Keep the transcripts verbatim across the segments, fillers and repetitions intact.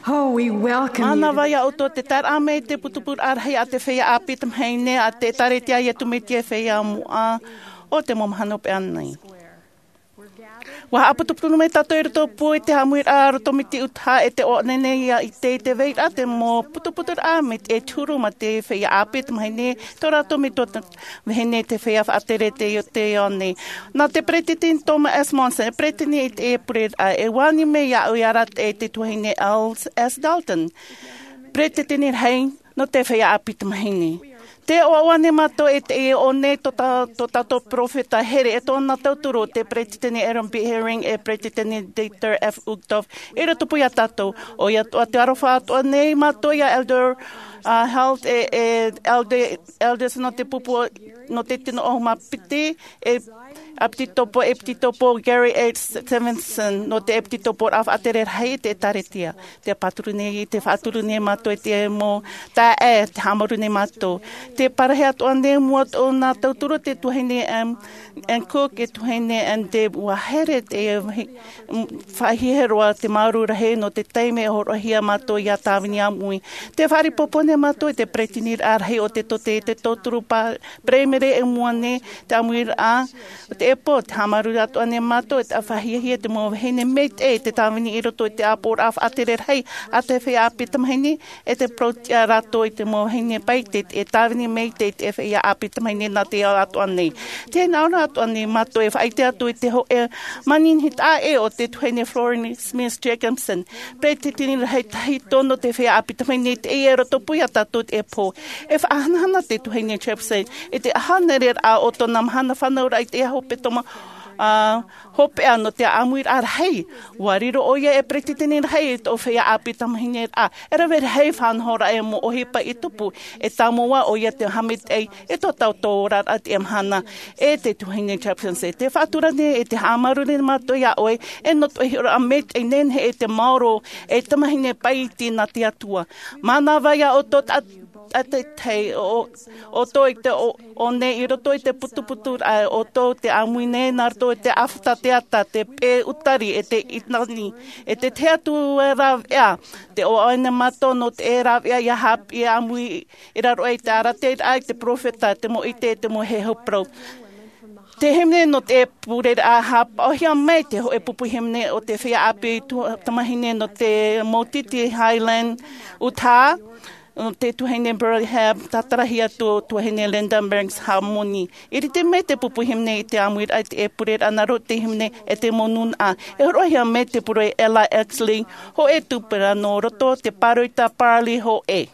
Oh, we welcome you. Mānava ia ʻoutou te taeraʻa mai i te putuputuraʻa rahi a te feiā ʻāpī tamahine a te ʻĒkālesia Iesu Mesia Feiā Moʻa o te mau mahana hopeʻa nei. ʻUa haʻaputuputu mai tātou i roto pū i te haʻamuiraʻa roto mai te ʻutaʻa e te ʻoaʻoa nei ia i te, i te vairaʻa te mau putuputuraʻa mai te huru mā te feiā ʻāpī tamahine, tō rātou metua vahine te feiā faʻatere te, te ao nei. Nā te peretiteni Thomas S. Monson, e peretiteni i te pureraʻa, e ani mai iāʻu ia rātou e te tuahine Charles S. Dalton, peretiteni rahi nō te feiā ʻāpī tamahine. Tē ʻoaʻoa nei mātou e te ʻō nei tō tā-, tō tātou peropheta here e tōna tauturu te peretiteni Aaron B. Eyring e peretiteni Dieter F. Uchtdorf i roto pū ia tātou. ʻOia atoʻa te aroha atoʻa nei mātou ia Elder, uh, Held e, e Elder, Elders nō te pupu nō te tino ʻahuru mā piti, e ʻEpitopo, ʻEpitopo Gary H. Stevenson, nō te ʻEpitoporaʻa faʻatere rahi i te ʻĒkālesia. Tē pāturu nei, tē faʻaturu nei mātou i te mau taeaʻe, tē haʻamāuruuru nei mātou. Tē parahi atoʻa nei mua tōna tauturu te tuahine M. Ann Cook, e tuahine Ann Deb, ʻua here te, m-, faʻahiahia roa te māuruuru rahi nō te taime e hōroʻahia mātou ia tāvini ʻāmui. Tē faʻaripopo nei mātou i te peresideniraʻa rahi o te tōtē, te tauturu pa-, Perēmere e mua nei te ʻāmuiraʻa, te ʻepo, tē haʻamāuruuru atoʻa nei mātou, e tē faʻahiahia te mau vahine maitaʻi, te tāvini i roto i te ʻāpoʻoraʻa faʻatere rahi a te feiā ʻāpī tamahine, e tē parauʻtiʻa rātou i te mau vahine paʻi, te, e tāvini maitaʻi te feiā ʻāpī tamahine nā te ao atoʻa nei. Tē hinaʻaro atoʻa nei mātou e faʻaʻite atu i te hōʻē manihini taʻa ʻē o te tuahine Florence Smith Jacobson, peretiteni rahi tahito nō te feiā ʻāpī tamahine i te ʻē i roto pū ia tātou i teie pō. E faʻahanahana te tuahine Jacobson i te ʻāhānere raʻa o tōna mahana fānauraʻa i te hepetoma, ā, hopeʻa nō te ʻāmuiraʻa rahi. ʻUa riro ʻoia e peretiteni rahi i tō feiā ʻāpī tamahine raʻa. E rave rahi fānauraʻa e mau ʻohipa i tupu, e tāmau ā ʻoia te haʻamaitaʻi i tō tātou oraraʻa i teie mahana. E te tuahine Jacobson, tē faʻatura nei e tē haʻamāuruuru nei mātou ia ʻoe, e nō tō hiʻoraʻa maitaʻi nehenehe e te maoro e tamahine paʻi nā te Atua. Mānava ia ʻoutou ta-, ta-, te, te, ʻo, ʻoutou i te ʻō, ʻō nei i roto i te putuputuraʻa, ʻoutou tē ʻāmui nei nā roto i te ʻāfata, te ata, te pē utari, e te ʻinani, e te tahi atu rāveʻa, tē ʻoaʻoa nei mātou nō te rāveʻa ia haʻapiʻi ʻāmui i raro aʻe i te arataʻiraʻa, i te peropheta, te mau ʻite, te mau heheu parau. Te hīmene nō te pureraʻa, haʻapaʻohia mai te hōʻē pupu hīmene o te feiā ʻāpī tu-, tamahine nō te Maititi Highland, Utah, nō te tuahine Burley Hebb, tātaraʻi atu tuahine Linda Banks Harmon. E rite mai te pupu hīmene i te ʻāmuiraʻa i te pureraʻa nā roto i te hīmene e te mau nūnaʻa. E hōroʻahia mai te pure Ella Exley, hōʻē tupuna nō roto te pāroita Parley hōʻē.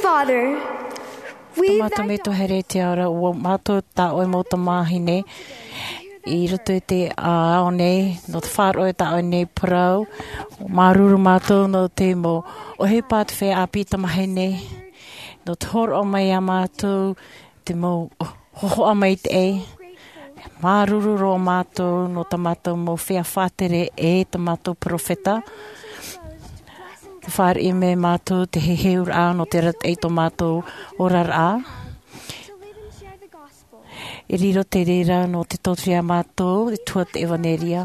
Father, we, tō mātou metua here i te ao ra, ʻo mātou tā ʻoe mau tamāhine i roto i te ao nei, nō te faʻaroʻo i tā ʻoe nei parau. Māuruuru mātou nō te mau ʻohipa a te feiā ʻāpī tamāhine, nō te hōroʻa mai iā mātou te mau hōhoʻa maitaʻi. Māuruuru roa mātou nō tā mātou mau feiā faʻatere e tā mātou peropheta. Ka fāriʻi mai mātou te heheuraʻa nō te arataʻi i tō mātou oraraʻa. E riro te reira nō te tauturu iā mātou i tua i te ʻevanelia.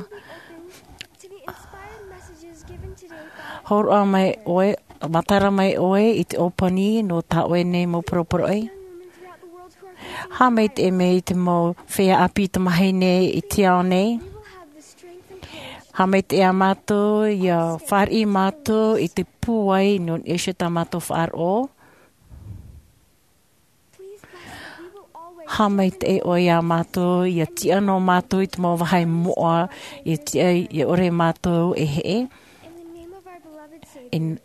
Hōroʻa mai ʻoe, matara mai ʻoe i te ʻōpani nō tā ʻoe nei mau poroporoʻi. Haʻamaitaʻi mai i te mau feiā ʻāpī tamāhine i te ao nei. Haʻamaitaʻi iā mātou, ʻia fāriʻi mātou i te pūai nō niʻa iho i tā mātou faʻaroʻo. Haʻamaitaʻi ʻoe iā mātou, ʻia tiʻa noa mātou i te mau vāhi moʻa, ʻia tiʻa, ʻia ʻore mātou e heʻe.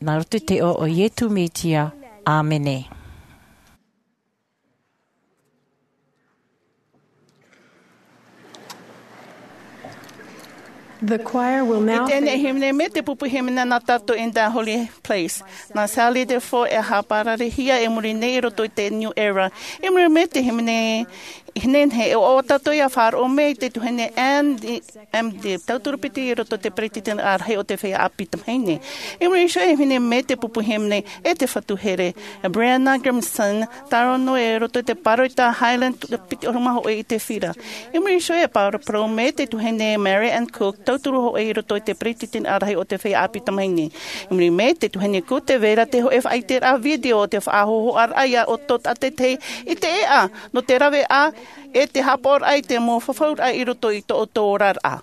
Nā roto i te iʻoa o Iesu Mesia. ʻĀmene. The choir will now. I teie nei hīmene, mai te pupu hīmene nā tātou In Thy Holy Place. Nā Sally Defoe e haʻapāraruhia e muri nei i roto i te New Era. I muri mai te hīmene nehenehe, e ʻoaʻoa tātou ʻia faʻaroʻo mai i te tuahine Anne M. Dibb, tauturu piti i roto i te peretiteni ʻārahi o te feiā ʻāpī tamāhine. I muri iho e hīmene mai te pupu hīmene e te fatu here, Brianna Grimson, Taro nō i roto i te pāroita Highland piti ʻahuru mā hōʻē i te fira. I muri iho e pāroparau mai te tuahine Mary Ann Cook, tauturu hōʻē i roto i te peretiteni ʻārahi o te feiā ʻāpī tamāhine. I muri mai te tuahine Cook, tē vai ra te hōʻē faʻaʻiteraʻa video o te faʻahōhoʻaraʻa ia ʻoutou tātaʻitahi i te ʻēʻa nō te raveʻa e te haʻapaʻoraʻa i te mau fafauraʻa i roto i tō ʻoutou oraraʻa.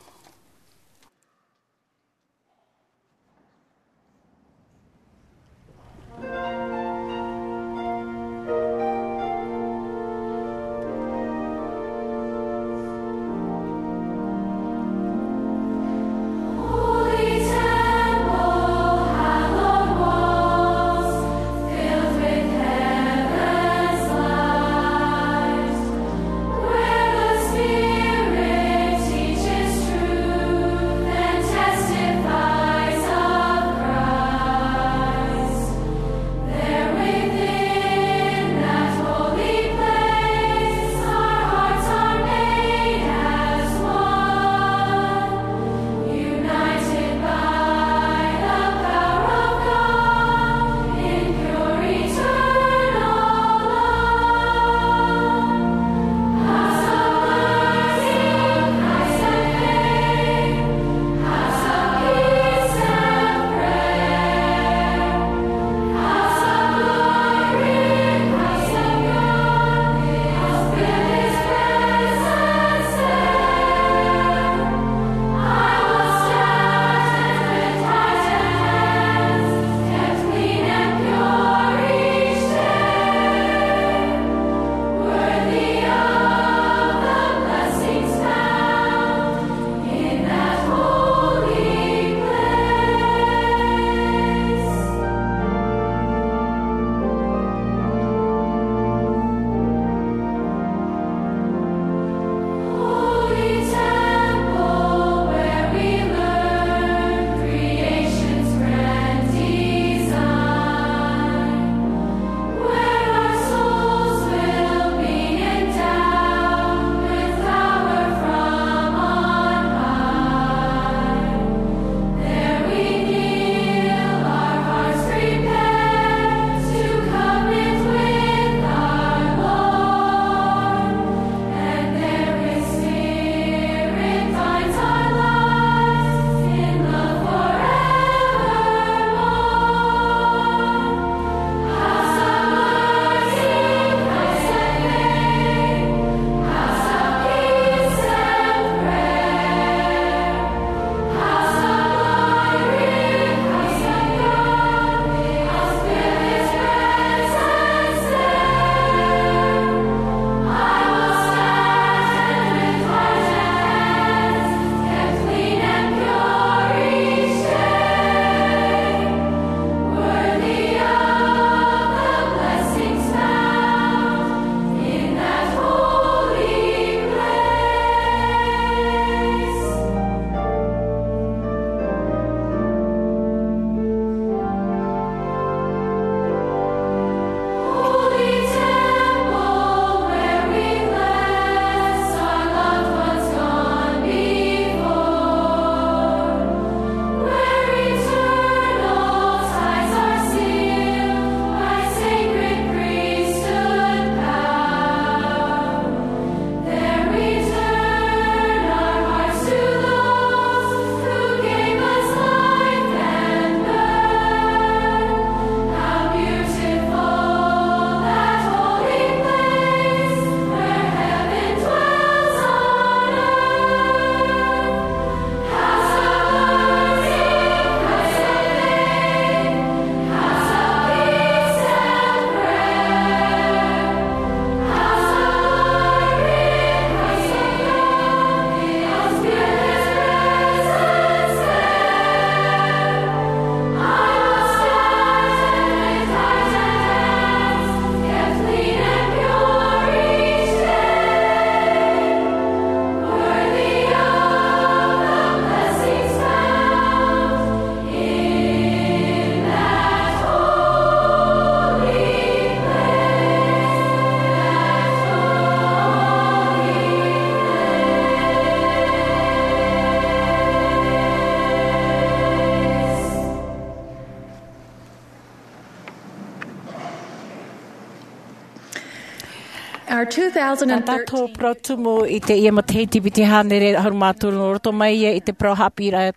Tātou parau tumu i teie matahiti piti hānere ʻahuru mā toru, nō roto mai ia i te parau haʻapiʻiraʻa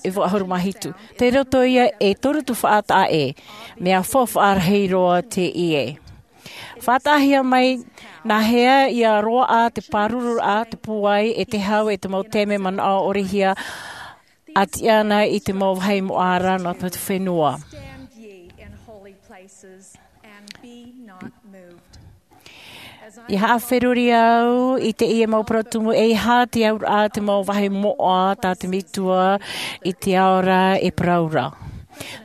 e vaʻu ʻahuru mā hitu. Tei roto ia e toru tuhaʻa taʻa ʻē. Mea faufaʻa rahi roa teie. Faʻataʻahia mai nāhea ia roaʻa te pāruruaʻa, te pūai, e te hau, e te mau taime manaʻo ʻore hia a tiʻa ana i te mau vāhi moʻa ra nō te fenua. I haʻaferuri au i teie mau parau tumu, ʻeiaha te auraʻa te mau vāhi moʻa tā te metua i te ao ra e parau ra.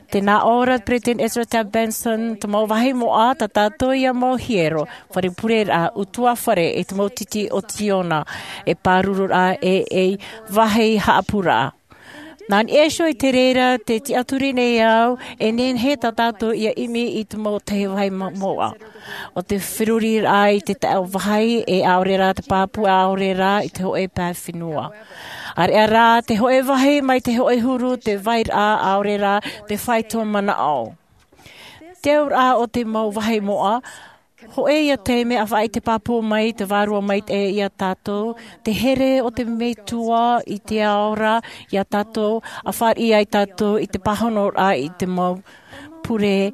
Tē nā ʻō ra te Peresideni Ezra Taft Benson, te mau vāhi moʻa tā tātou ia mau hiero, fare pureraʻa, ʻutuāfare, e te mau titi o Ziona, e pāruruaʻa, e, e vāhi haʻapūraʻa. Nā niʻa iho i te reira, tē tiʻaturi nei au, e nehenehe tā tātou ia ʻimi i te mau tahi vāhi ma-, moʻa. ʻO te feruriraʻa i te taʻo vāhi, e ʻaore rā te pāpū, ʻaore rā i te hōʻē pae fenua. ʻAreʻa rā te hōʻē vāhi mai te hōʻē huru, te vairaʻa, ʻaore rā te faito manaʻo. Te auraʻa o te mau vāhi moʻa, hōʻē ia taime ʻa faʻaʻite pāpū mai te Vārua Maitaʻi ia tātou, te here o te Metua i te ao ra ia tātou, ʻa fāriʻi ai tātou i te pāhonoraʻa i te mau pure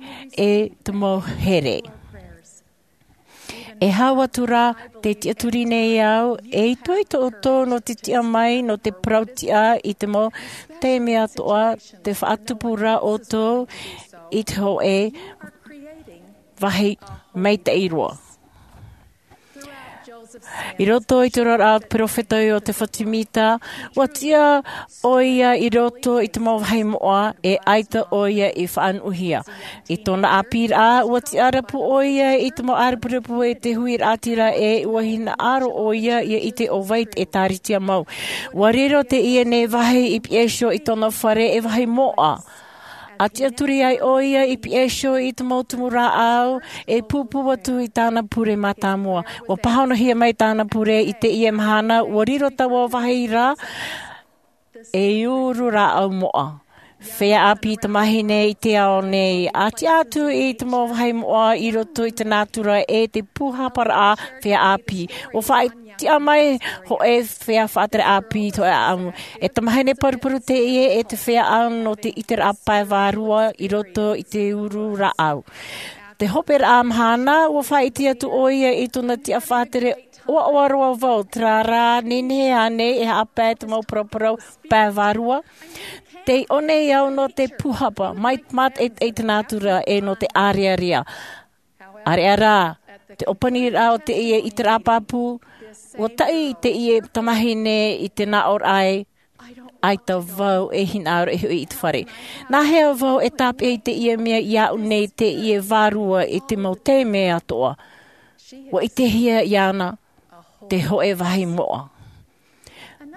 e te mau here. E hau atu ra, tē tiʻaturi nei au, e ʻitoito ʻoutou nō te tiʻa mai, nō te parau tiʻa i te mau taime atoʻa, tē faʻatupu ra ʻoutou i te hōʻē vāhi maitaʻi roa. I roto i te oraraʻa o te perofeta Iotefa Semita, ʻua tiʻa ʻoia i roto i te mau vāhi moʻa, e ʻaita ʻoia i faʻanuʻuhia. I tōna ʻāpīraʻa, ʻua tiʻarapu ʻoia i te mau ʻārepurepu e te huiraʻatira, e ʻua hinaʻaro ʻoia ia ʻite ʻo vai e tāritia mau. ʻUa riro teie nei vāhi i piha iho i tōna fare e vāhi moʻa. ʻA tiʻaturi ai ʻoia i piha iho i te mau tumu rāʻau, e pūpū atu i tāna pure mātāmua. ʻUa pāhonohia mai tāna pure i teie mahana, ʻua riro taua vāhi ra ei uru rāʻau moʻa. Feiā ʻāpī tamāhine i te ao nei, ʻa tiʻa atu i te mau vāhi moʻa i roto i te nātura e te pūhaparaʻa feiā ʻāpī. ʻUa faʻa- tiʻa mai hōʻē feiā faʻatere ʻāpī i te hōʻē ʻāʻamu. E tamāhine paruparu teie e te feiā ʻāʻamu nō te ʻiteraʻa pae vārua i roto i te uru rāʻau. Te hoperaʻa mahana, ʻua faʻaʻite atu ʻoia i tōna tiʻa faʻatere ʻoaʻoa roa vau, terā rā, nehenehe ānei e haʻapae te mau paraparau pae vārua? Tei ʻō nei au nō te pūhapa, mai te mātaʻitaʻi i te nātura e nō te ʻārearea. ʻAreʻa rā, te ʻōpaniraʻa o teie ʻiteraʻa pāpū, ʻua taʻi teie tamāhine i te nāʻōraʻa ē, ʻaita vau e hinaʻaro e hoʻi i te fare. Nāhea vau e tāpeʻa i teie mea iāʻu nei teie vārua i te mau taime atoʻa? ʻUa ʻitehia iāna te hōʻē vāhi moʻa.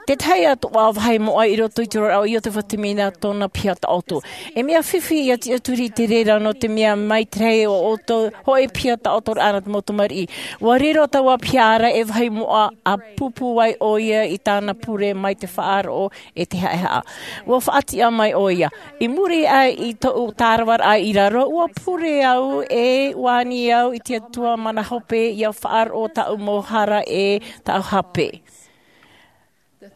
Te tahi atoʻa vāhi moʻa i roto i te oraraʻa o Iotefa Semita tōna piha taʻoto. E mea fifi ʻia tiʻaturi i te reira nō te mea mai te rahi o ʻoutou hōʻē piha taʻotoraʻa nā te mau tamariʻi. ʻUa riro taua piha ra e vāhi moʻa ʻa pūpū ai ʻoia i tāna pure mai te faʻaroʻo e te haʻehaʻa. ʻUa faʻatiʻa mai ʻoia. I muri aʻe i tōʻu tāravaraʻa i raro, ʻua pure au e ʻua ani au i te Atua mana hope ʻia faʻaroʻo tāʻu mau hara e tāʻu hape.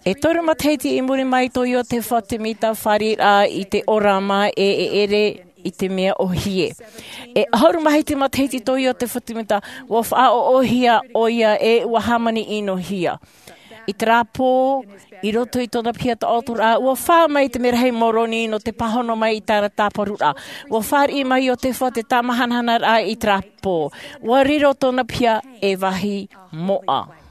E toru matahiti i muri mai tō Iotefa Semita fāriʻiraʻa i te ʻōrama e, e ʻere i te mea ʻōhie. E ʻahuru mā hitu matahiti tō Iotefa Semita, ʻua faʻaʻoʻohia ʻoia e ʻua hāmani ʻinohia. I terā pō, i roto i tōna piha taʻotoraʻa, ʻua fā mai te merahi Moroni nō te pāhono mai i tāna tāparuraʻa. ʻUa fāriʻi mai Iotefa te tāmahanahanaraʻa i terā pō. ʻUa riro tōna piha e vāhi moʻa.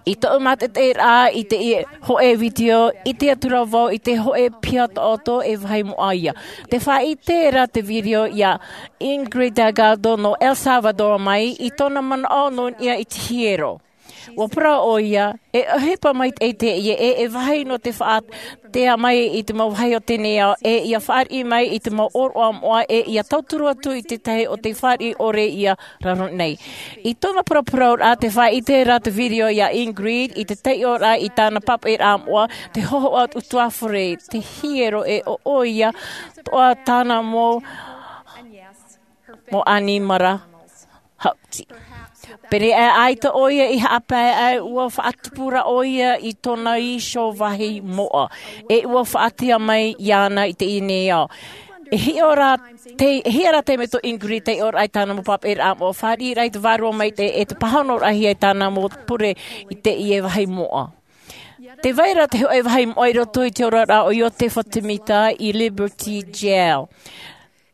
I tōʻu mātaʻitaʻiraʻa i teie hōʻē vitiō, ʻite atu ra vau i te hōʻē piha taʻoto e vāhi moʻa ia. Tē faʻaʻite ra te vitiō ia Ingrid Delgado nō El Salvador mai i tōna manaʻo nō niʻa i te hiero. ʻUa parau ʻoia, e ʻohipa maitaʻi teie e, e vāhi nō te faʻatea mai i te mau vāhi o teie nei ao, e ʻia fāriʻi mai i te mau ʻōroʻa moʻa, e ʻia tauturu atu i te tahi o te fāriʻi ʻore ia raro nei. I tōna paraparauraʻa, tē faʻaʻite ra te vitiō ia Ingrid i te taiʻoraʻa i tāna pāpaʻiraʻa moʻa, te hōhoʻa ʻutuāfare, te hiero e ʻo ʻoia, toʻa tāna mau, mau ʻanimara haʻuti. Pēnei aʻe ʻaita ʻo ia i haʻapae ai, ua faʻatupu ra ʻo ia i tōna iho vāhi moʻa, e ua faʻatea mai iāna i teie nei ao. E hiʻo ra te, e hiʻo ra te mea tō Ingrid, tei ʻō ra i tāna mau pāpaʻiraʻa moʻa, fāriʻi ra i te vārua maitaʻi, e te pāhonoraʻahia i tāna mau pure i teie vāhi moʻa. Tē vai ra te hōʻē vāhi moʻa i roto i te oraraʻa o Iotefa Temita i Liberty Jail.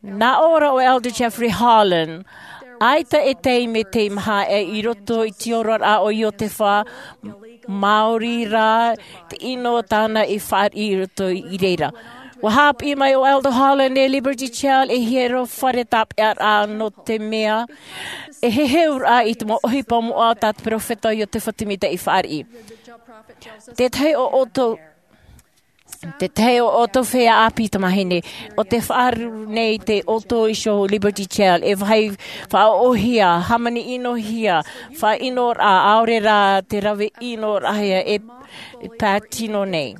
Nā ʻō ra ʻo Elder Jeffrey Holland, ʻaita e taime tei maha aʻe i roto i te oraraʻa o Iotefa, maori rā te ʻino tāna i fāriʻi i roto i reira. Ua haʻapiʻi mai ʻo Elder Holland, e Liberty Jail e hiero fare tāpeʻaraʻa, nō te mea e heheuraʻa i te mau ʻohipa moʻa tā te peropheta Iotefa Temita i fāriʻi. Tētahi o ʻoutou, tētahi o ʻoutou feiā ʻāpī tamāhine, ʻo tē faʻaroʻo nei i tō ʻoutou iho Liberty Jail, e vāhi faʻaʻohia, hāmani ʻinohia, faʻaʻinoraʻa, ʻaore rā te rave ʻinoraʻahia e, e pātino nei.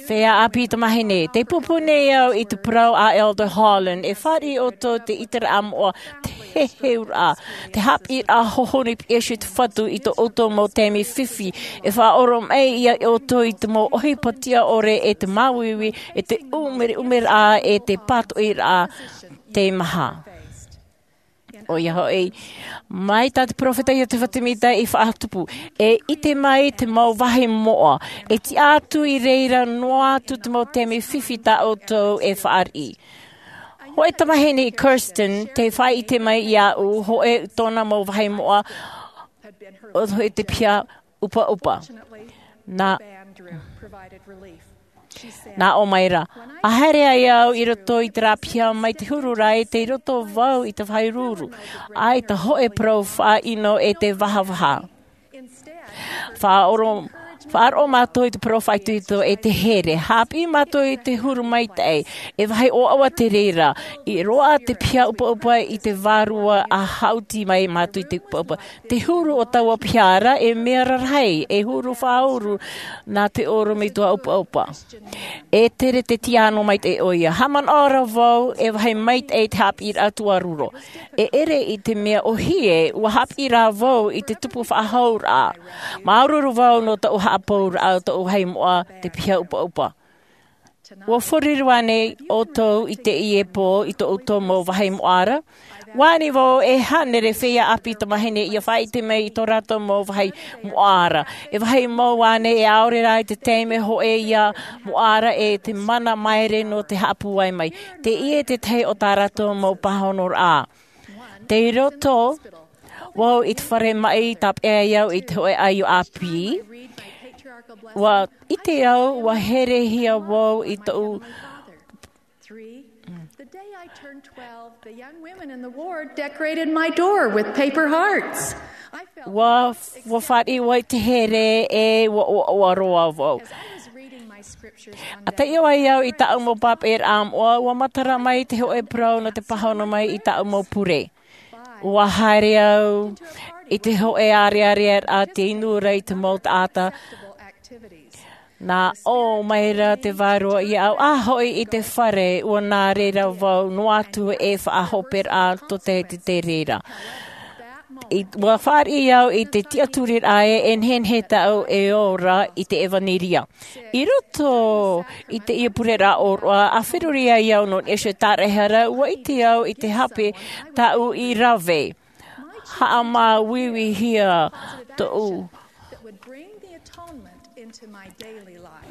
Feiā ʻāpī tamāhine, tē pūpū nei au i te parau a Elder Holland, e fāriʻi ʻoutou te ʻiteraʻa moʻa, te heheuraʻa, te haʻapiʻiraʻa hohonu i te Fatu i tō ʻoutou mau taime fifi, e faʻaʻoro mai ia ʻoutou i te mau ʻohipa tiʻaʻore, e te māuiui, e te ʻumeʻumeraʻa, e te pātoʻiraʻa tei maha. ʻOia hoʻi, mai tā te peropheta Iotefa Temita i faʻatupu, e ʻite mai te mau vāhi moʻa, e tiʻa atu i reira noa atu te mau taime fifi tā ʻoutou e fāriʻi. Hōʻē tamāhine, Kirsten, tē faʻaʻite mai iāʻu, hōʻē tōna mau vāhi moʻa, ʻo te piha ʻupaʻupa. Nā, nā ʻō mai ra, ʻa haere ai au i roto i terā piha mai te huru ra, e tei roto vau i te vāhi ruru. ʻAita hōʻē parau faʻaʻino e te vahavaha. Faʻaʻoro, faʻaroʻo mātou i te parau faʻaitoito e te here. Haʻapiʻi mātou i te huru maitaʻi, e vāhi ʻoaʻoa te reira. I roaʻa te piha ʻupaʻupa i te vārua a haʻuti mai mātou i te ʻupaʻupa. Te huru o taua piha ra, e mea rarahi, e huru faʻauru nā te ʻorometua ʻupaʻupa. E tere te tiano maitaʻi ʻoia. Haʻamanaʻo ra vau, e vāhi maitaʻi te haʻapiʻiraʻa tuarua. E ʻere i te mea ʻōhie, ua haʻapiʻi ra vau i te tupu faʻahouraʻa. Māuruuru vau nō tōʻu haʻapauraʻa, tōʻu vāhi moʻa, te piha ʻupaʻupa. Ua fāriʻi ānei ʻoutou i teie pō i tō ʻoutou mau vāhi moʻa ra? ʻUa ani vau e hānere feiā ʻāpī tamāhine ʻia faʻaʻite mai i tō rātou mau vāhi moʻa ra. E vāhi mau ānei e ʻaore rā i te taime hōʻē ia moʻa ra e te mana māere nō te haʻapūai mai. Teie te tahi o tā rātou mau pāhonoraʻa. Tei roto vau i te fare maʻi, tāpeʻa ai au i te hōʻē ʻaio ʻāpī. ʻUa ʻite au, ʻua herehia vau i tōʻu. Three, the day I turned twelve, the young women in the ward decorated my door with paper hearts. I felt ʻUa, like ʻua fāriʻi vau i te here e ʻua, ʻua, ʻua roa vau. As I was reading my scriptures one day, ʻa taiʻo ai au i tāʻu mau pāpaʻiraʻa moʻa, ʻua matara mai te hōʻē parau nō te pāhono mai i tāʻu mau pure. ʻUa haere au i te hōʻē ārearea a te inu ra i te mau taʻata. Nā ʻō mai ra te vārua iāʻu, ʻā hoʻi i te fare, ʻua nā reira vau noa atu e faʻahoperaʻa tō te, te, te reira. I, ʻua fāriʻi au i te tiʻaturiraʻa e, e nehenehe tāʻu e ora i te ʻevaneria. I roto i teie pureraʻa ʻōroʻa, ʻa feruri ai au nō niʻa i te tāraʻehara, ʻua ʻite au i te hape tāʻu i rave. Haʻamāuiuihia tōʻu. That would bring the atonement into my daily life.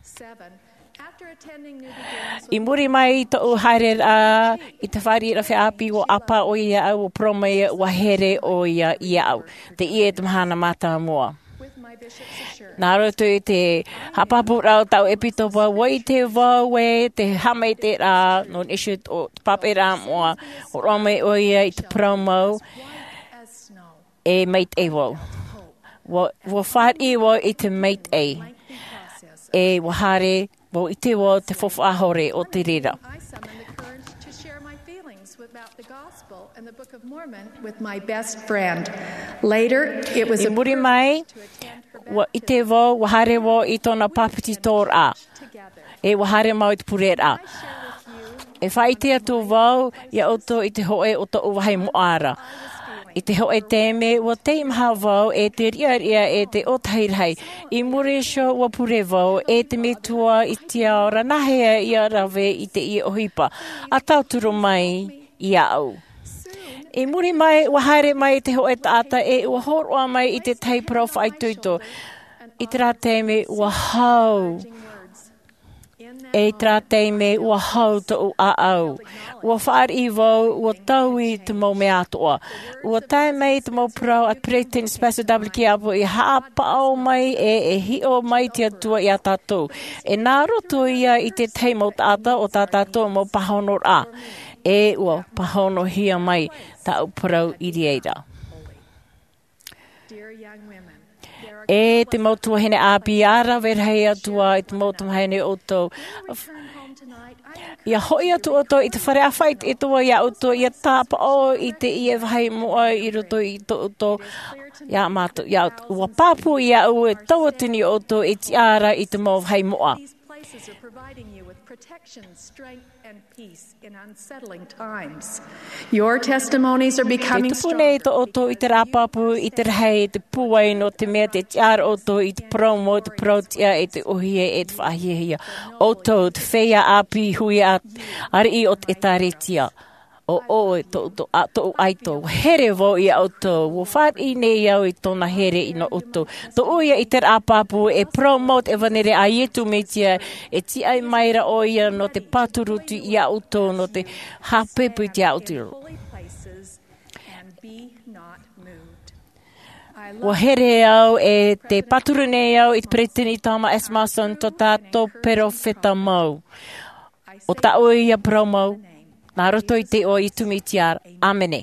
Seven, after attending New Beginnings with I muri mai i tōʻu haereraʻa i te fāriʻiraʻa feiā ʻāpī, ʻua ʻāpā ʻoia iāʻu, ʻua parau mai ʻua here ʻoia iāʻu. Teie te mahana mātāmua. With my bishop's assurance. Nā roto i te haʻapāpūraʻa o tāʻu ʻepitopa, ʻua ʻite vau ē te haʻamaitaʻiraʻa nō niʻa i te pāpaʻiraʻa moʻa, ʻua roaʻa mai ʻoia i te parau mau, e maitaʻi vau. ʻUa, ʻua fāriʻi vau i te maitaʻi, e ʻua haere vau i te, ʻua te faufaʻa hore o te reira. I summoned the courage to share my feelings about the gospel and the Book of Mormon with my best friend. Later, it was a privilege to attend her baptism. I muri mai, ʻua ʻite vau, ʻua haere vau i tōna pāpetitoraʻa. E ʻua haere mau i te pureraʻa. E faʻaʻite atu vau iā ʻoutou i te hōʻē o tōʻu vāhi moʻa ra. I te hoʻe taime, ua teimaha vau e te riʻariʻa e te ʻōtahi rahi. I muri iho ua pure vau e te metua i te ao ra, nāhea ia rave i teie ʻohipa. ʻA tauturu mai iāʻu. I muri mai, ua haere mai te hoʻe taʻata e ua hōroʻa mai i te tahi parau faʻaitoito. I terā taime ua hau. E i terā taime ua hau tōʻu ʻāʻau. Ua fāriʻi vau, ua taui te mau mea atoʻa. Ua tae mai te mau parau a Peresideni Spencer W. Kimball, i haʻapaʻo mai e, e hiʻo mai te Atua iā tātou. E nā roto ia i te tahi mau taʻata o tā tātou mau pāhonoraʻa. E ua pāhonohia mai tāʻu parau i reira. E te mau tuahine ʻāpī, ʻa rave rahi atu ā i te mau tamahine ʻoutou. ʻIa hoʻi atu ʻoutou i te fare, ʻa faʻaitoito iā ʻoutou, ʻia tāpaʻo i teie vāhi moʻa i roto i tō ʻoutou, iā mātou, iā ʻoutou. Ua pāpū iāʻu e tauatini ʻoutou e tiʻa ra i te mau vāhi moʻa. These places are providing you with protection, strength, and peace in unsettling times. Your testimonies are becoming stronger. E tupu nei tō ʻoutou i te rāpapu, i te rahi, i te pūai, nō te mea tē tiʻa ra ʻoutou i te parau mau, te parau tiʻa, e te ʻōhie, e te faʻahiahia. ʻOutou, te feiā ʻāpī, huiraʻa, ariʻi o te ʻĒtārētia. ʻO ʻoe, tō, tō, ʻa, tōʻu ʻaito. Here vau iā ʻoutou, ua fāriʻi nei au i tōna here i nō ʻoutou. Tōʻu ia i te rāpapu, e parau mau te ʻevanelia a Iesu Mesia, e tiʻa mai ra ʻoia nō te pāturu atu iā ʻoutou, nō te haʻapāpū iā ʻoutou. Ua here au e tē pāturu nei au i te Peresideni Thomas S. Monson, tō tātou perofeta mau. ʻO tāʻu ia parau mau, nā roto i te iʻoa o Iesu Mesia, ʻāmene.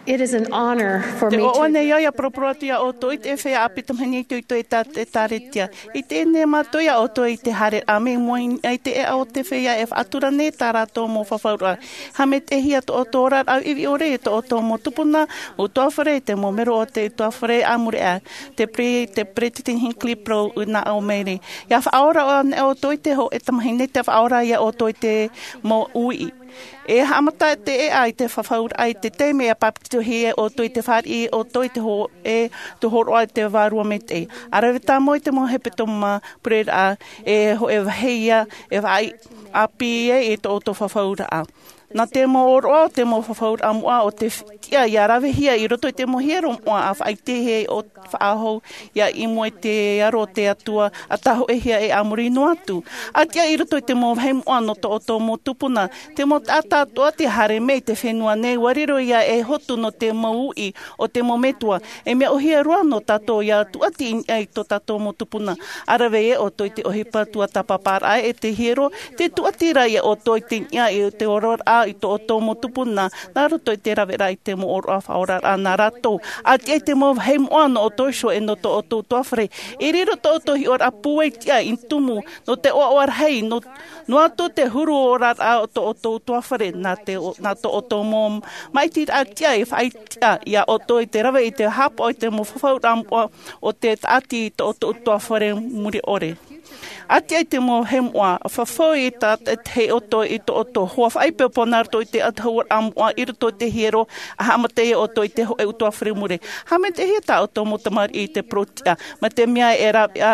It is an honor for me to. Te ʻoaʻoa nei au ia poroporo atu ia ʻoutou i te feiā ʻāpī tamahine itoito e tā te ʻĒkālesia. I teie nei mātou ia ʻoutou i te haere ʻāmui i mua i te ʻēʻa o te feiā e faʻatura nei tā rātou mau fafauraʻa. Haʻamaitaʻihia tō ʻoutou oraraʻa viʻiviʻi ʻore i tō ʻoutou mau tupuna, utuafare, te mau melo o te utuafare a muri aʻe, te pre-, te Peresideni Hinckley Poe i nā ʻō mai nei. Ia faʻaora ʻoe nei ʻoutou i te hōʻē tamahine, te faʻaora ia ʻoutou i te mau uiʻi. E haʻamata te ʻēʻa i te fafauraʻa i te taime e papetitohia ʻoutou i te fāriʻi ʻoutou i te hōʻē, te hōroʻa i te Vārua Maitaʻi. ʻA rave tāmau i te mau hepetoma pureraʻa, e hōʻē vāhi ia, e faʻaʻāpī ai i tō ʻoutou fafauraʻa. Nā te mau ʻōroʻa o te mau fafauraʻa moʻa o te f-, tiʻa ia ravehia i roto i te mau hiero moʻa ʻa faʻaʻitehia ʻo faʻahou ia i mua i te aro o te Atua, ʻa tāhōʻēhia e a muri noa atu. ʻA tiʻa i roto i te mau vāhi moʻa nō tō ʻoutou mau tupuna, te mau taʻata atoʻa tē haere mai i te fenua nei, ʻua riro ia ei hotu nō te mau uiʻi o te mau metua. E mea ʻōhie roa nō tātou ia tūʻati i niʻa i tō tātou mau tupuna. ʻA rave ē ʻoutou i te ʻohipa tuatāpaparaʻa e te hiero, te tūʻati ra ia ʻoutou i te niʻa i te oraraʻa i tō ʻoutou mau tupuna, nā roto i te raveraʻa i te mau ʻōroʻa faʻaoraraʻa nā rātou. ʻA tiʻa i te mau vāhi moʻa nō ʻoutou iho e nō tō ʻoutou utuafare. E riro tō ʻoutou hiʻoraʻa pūai tiʻa i tumu, nō te ʻoaʻoa rahi, nō, noa atu te huru oraraʻa o tō ʻoutou utuafare, nā te o-, nā tō ʻoutou mau māʻitiraʻa tiʻa e faʻaʻite ia ʻoutou i te rave i te haʻapaʻo i te mau fafauraʻa moʻa o te tāʻati i tō ʻoutou utuafare mure ʻore. ʻA tiʻa i te mau vāhi moʻa, fafau i tā te, te hei ʻoutou i tō ʻoutou hoa faʻaipoipo nā roto i te ʻatuhauaraʻa moʻa i roto i te hiero, ʻa haʻamata ia ʻoutou i te hōʻē utuafare mure. Haʻamaitaʻihia tā ʻoutou mau tamariʻi i te parau tiʻa, mai te mea e rave ā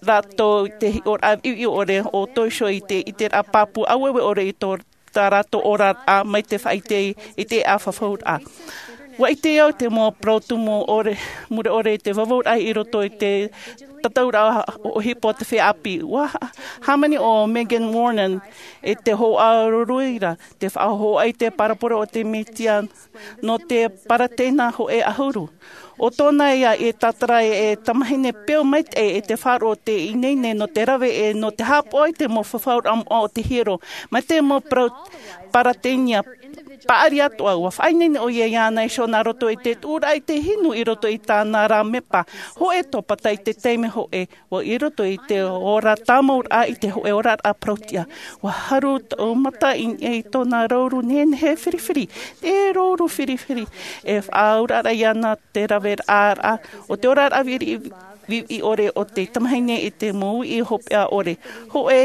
rātou i te hiʻoraʻa viʻiviʻi ʻore o ʻoutou iho i te, i te ʻiteraʻa pāpū aueue ʻore i tō tā rātou oraraʻa mai te faʻaʻite i te ʻēʻa fafauraʻa. ʻUa ʻite au te mau parau tumu ʻore, mure ʻore i te vavauraʻa i roto i te tataʻuraʻa ʻohipa o te feiā ʻāpī. ʻUa hā-, hāmani ʻo Megan Warren i te hōʻē ʻāruruira, te faʻahōhoʻa i te parabole o te Mesia nō te Paratena hōʻē ʻahuru. ʻO tōna ia e tātara e tamahine peu maitaʻi e te faʻaroʻo o te ineine nō te rave e nō te haʻapaʻo i te mau fafauraʻa moʻa o te hiero, mai te mau parau Paratenia paʻari atoʻa. ʻUa faʻaineine ʻoia iāna iho nā roto i te tuʻuraʻa i te hinu i roto i tāna ra mepa. Hōʻē tōpata i te taime hōʻē, ʻua i roto i te ora tāmauraʻa i te hōʻē oraraʻa parau tiʻa. ʻUa haru tōʻu mata i, i tōna rōuru nehenehe firifiri, te rōuru firifiri, e faʻaauraʻa iāna te raveraʻa o te oraraʻa viri-, viʻiviʻi ʻore o te tamahine i te mau uiʻi hopeʻa ʻore. Hōʻē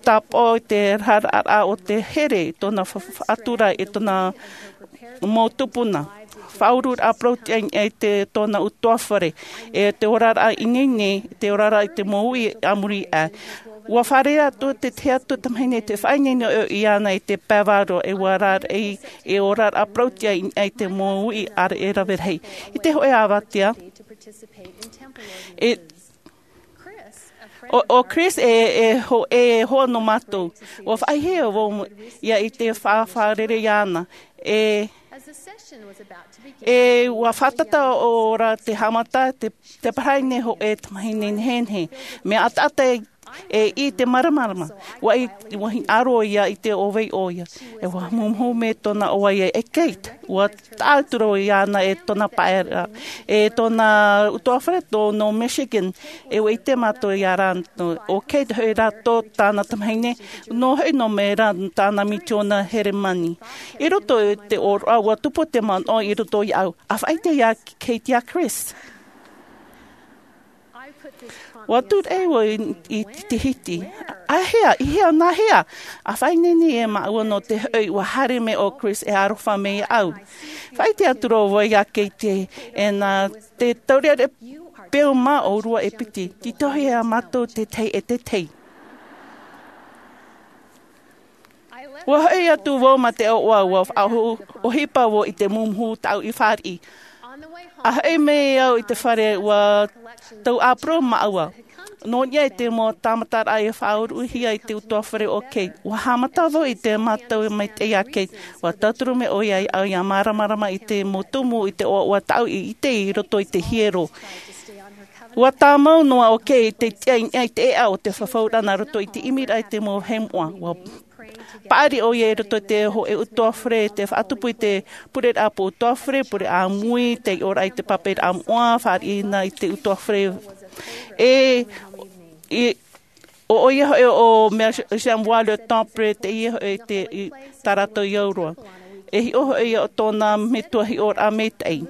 tāpaʻo i te raharaʻa o te here i tōna fa-, fa-, faʻatura i tōna mau tupuna. Faʻauruuraʻa parau tiʻa i te tōna utuafare, e te oraraʻa ineine, te oraraʻa i te mau uiʻi a muri aʻe. ʻUa fārereiraʻa atu te tahi atu tamahine te faʻaineine ʻoia iāna i te pae vārua e ʻua rāraʻi e oraraʻa parau tiʻa i, i te mau uiʻi ʻāreʻa e rave rahi. I te hōʻē avatea, e, ʻo, ʻo Chris e, e ho-, e hoa nō mātou. ʻUa faʻaʻite vau ia i te fa-, fārerei iāna. E, e ʻua fātata ʻo ra te haʻamata, te, te parahi nei hōʻē tamahine nehenehe. Mea ʻataʻata e, e i te māramarama. ʻUa i, ʻua hinaʻaro ia i te ʻōvai ʻoia. E ʻua mumuhu mai tōna ʻoaʻoa e Kate. ʻUa taʻa atu ra iāna e tōna pae ra, e tōna utuafare tō nō Michigan, e ʻua ʻite mātou ia rā, nō, ʻo Kate hoʻi rā tō tāna tamahine, nō hoʻi nō mai rā tāna misiona Heremani. I roto i te ʻōroʻa ʻua tupu te manaʻo i roto iāʻu, ʻa faʻaʻite ia Kate ia Chris. ʻUa tūraʻi vau i, i te hiti. ʻAhea, i hea, nā hea? ʻA faʻaineine e māua nō te hoʻi ʻua haere mai ʻo Chris e aroha mai iāʻu. Faʻaʻite atu ra vau ia Kate, e nā te taureʻareʻa peu mā ʻōrua e piti, tītauhia mātou te tahi e te tahi. ʻUa hoʻi atu vau ma te ʻoaʻoa, ʻua faʻaʻohi-, ʻohipa vau i te mumuhu tāʻu i fāriʻi. ʻA hoʻi mai au i te fare, ʻua tau ʻāparau māua. Nō niʻa i te mau tāmataraʻa e faʻauruhia i te utuafare o Kate, ʻua haʻamata vau i te mātau maitaʻi a Kate. ʻUa tauturu mai ʻoia iāʻu ia māramarama i te mau tumu i te ʻoaʻoa tāʻu i ʻite i roto i te hiero. ʻUa tāmau noa ʻo Kate i te tiʻa i niʻa i te ʻēʻa o te fafauraʻa nā roto i te ʻimiraʻa i te mau vāhi moʻa. ʻUa Paʻari ʻoia i roto i te hōʻē utuafare, te faʻatupu i te pureraʻa pō utuafare, pure ʻāmui, te iʻoraʻa i te papairaʻa moʻa, fāriʻi na i te utuafare. E, i, ʻo ʻoia hoʻi ʻo Mary Jean Waller Temple, teie hoʻi te, i, tā rātou i au roa. E hiʻo hoʻi ia ʻo tōna metua hiʻoraʻa maitaʻi.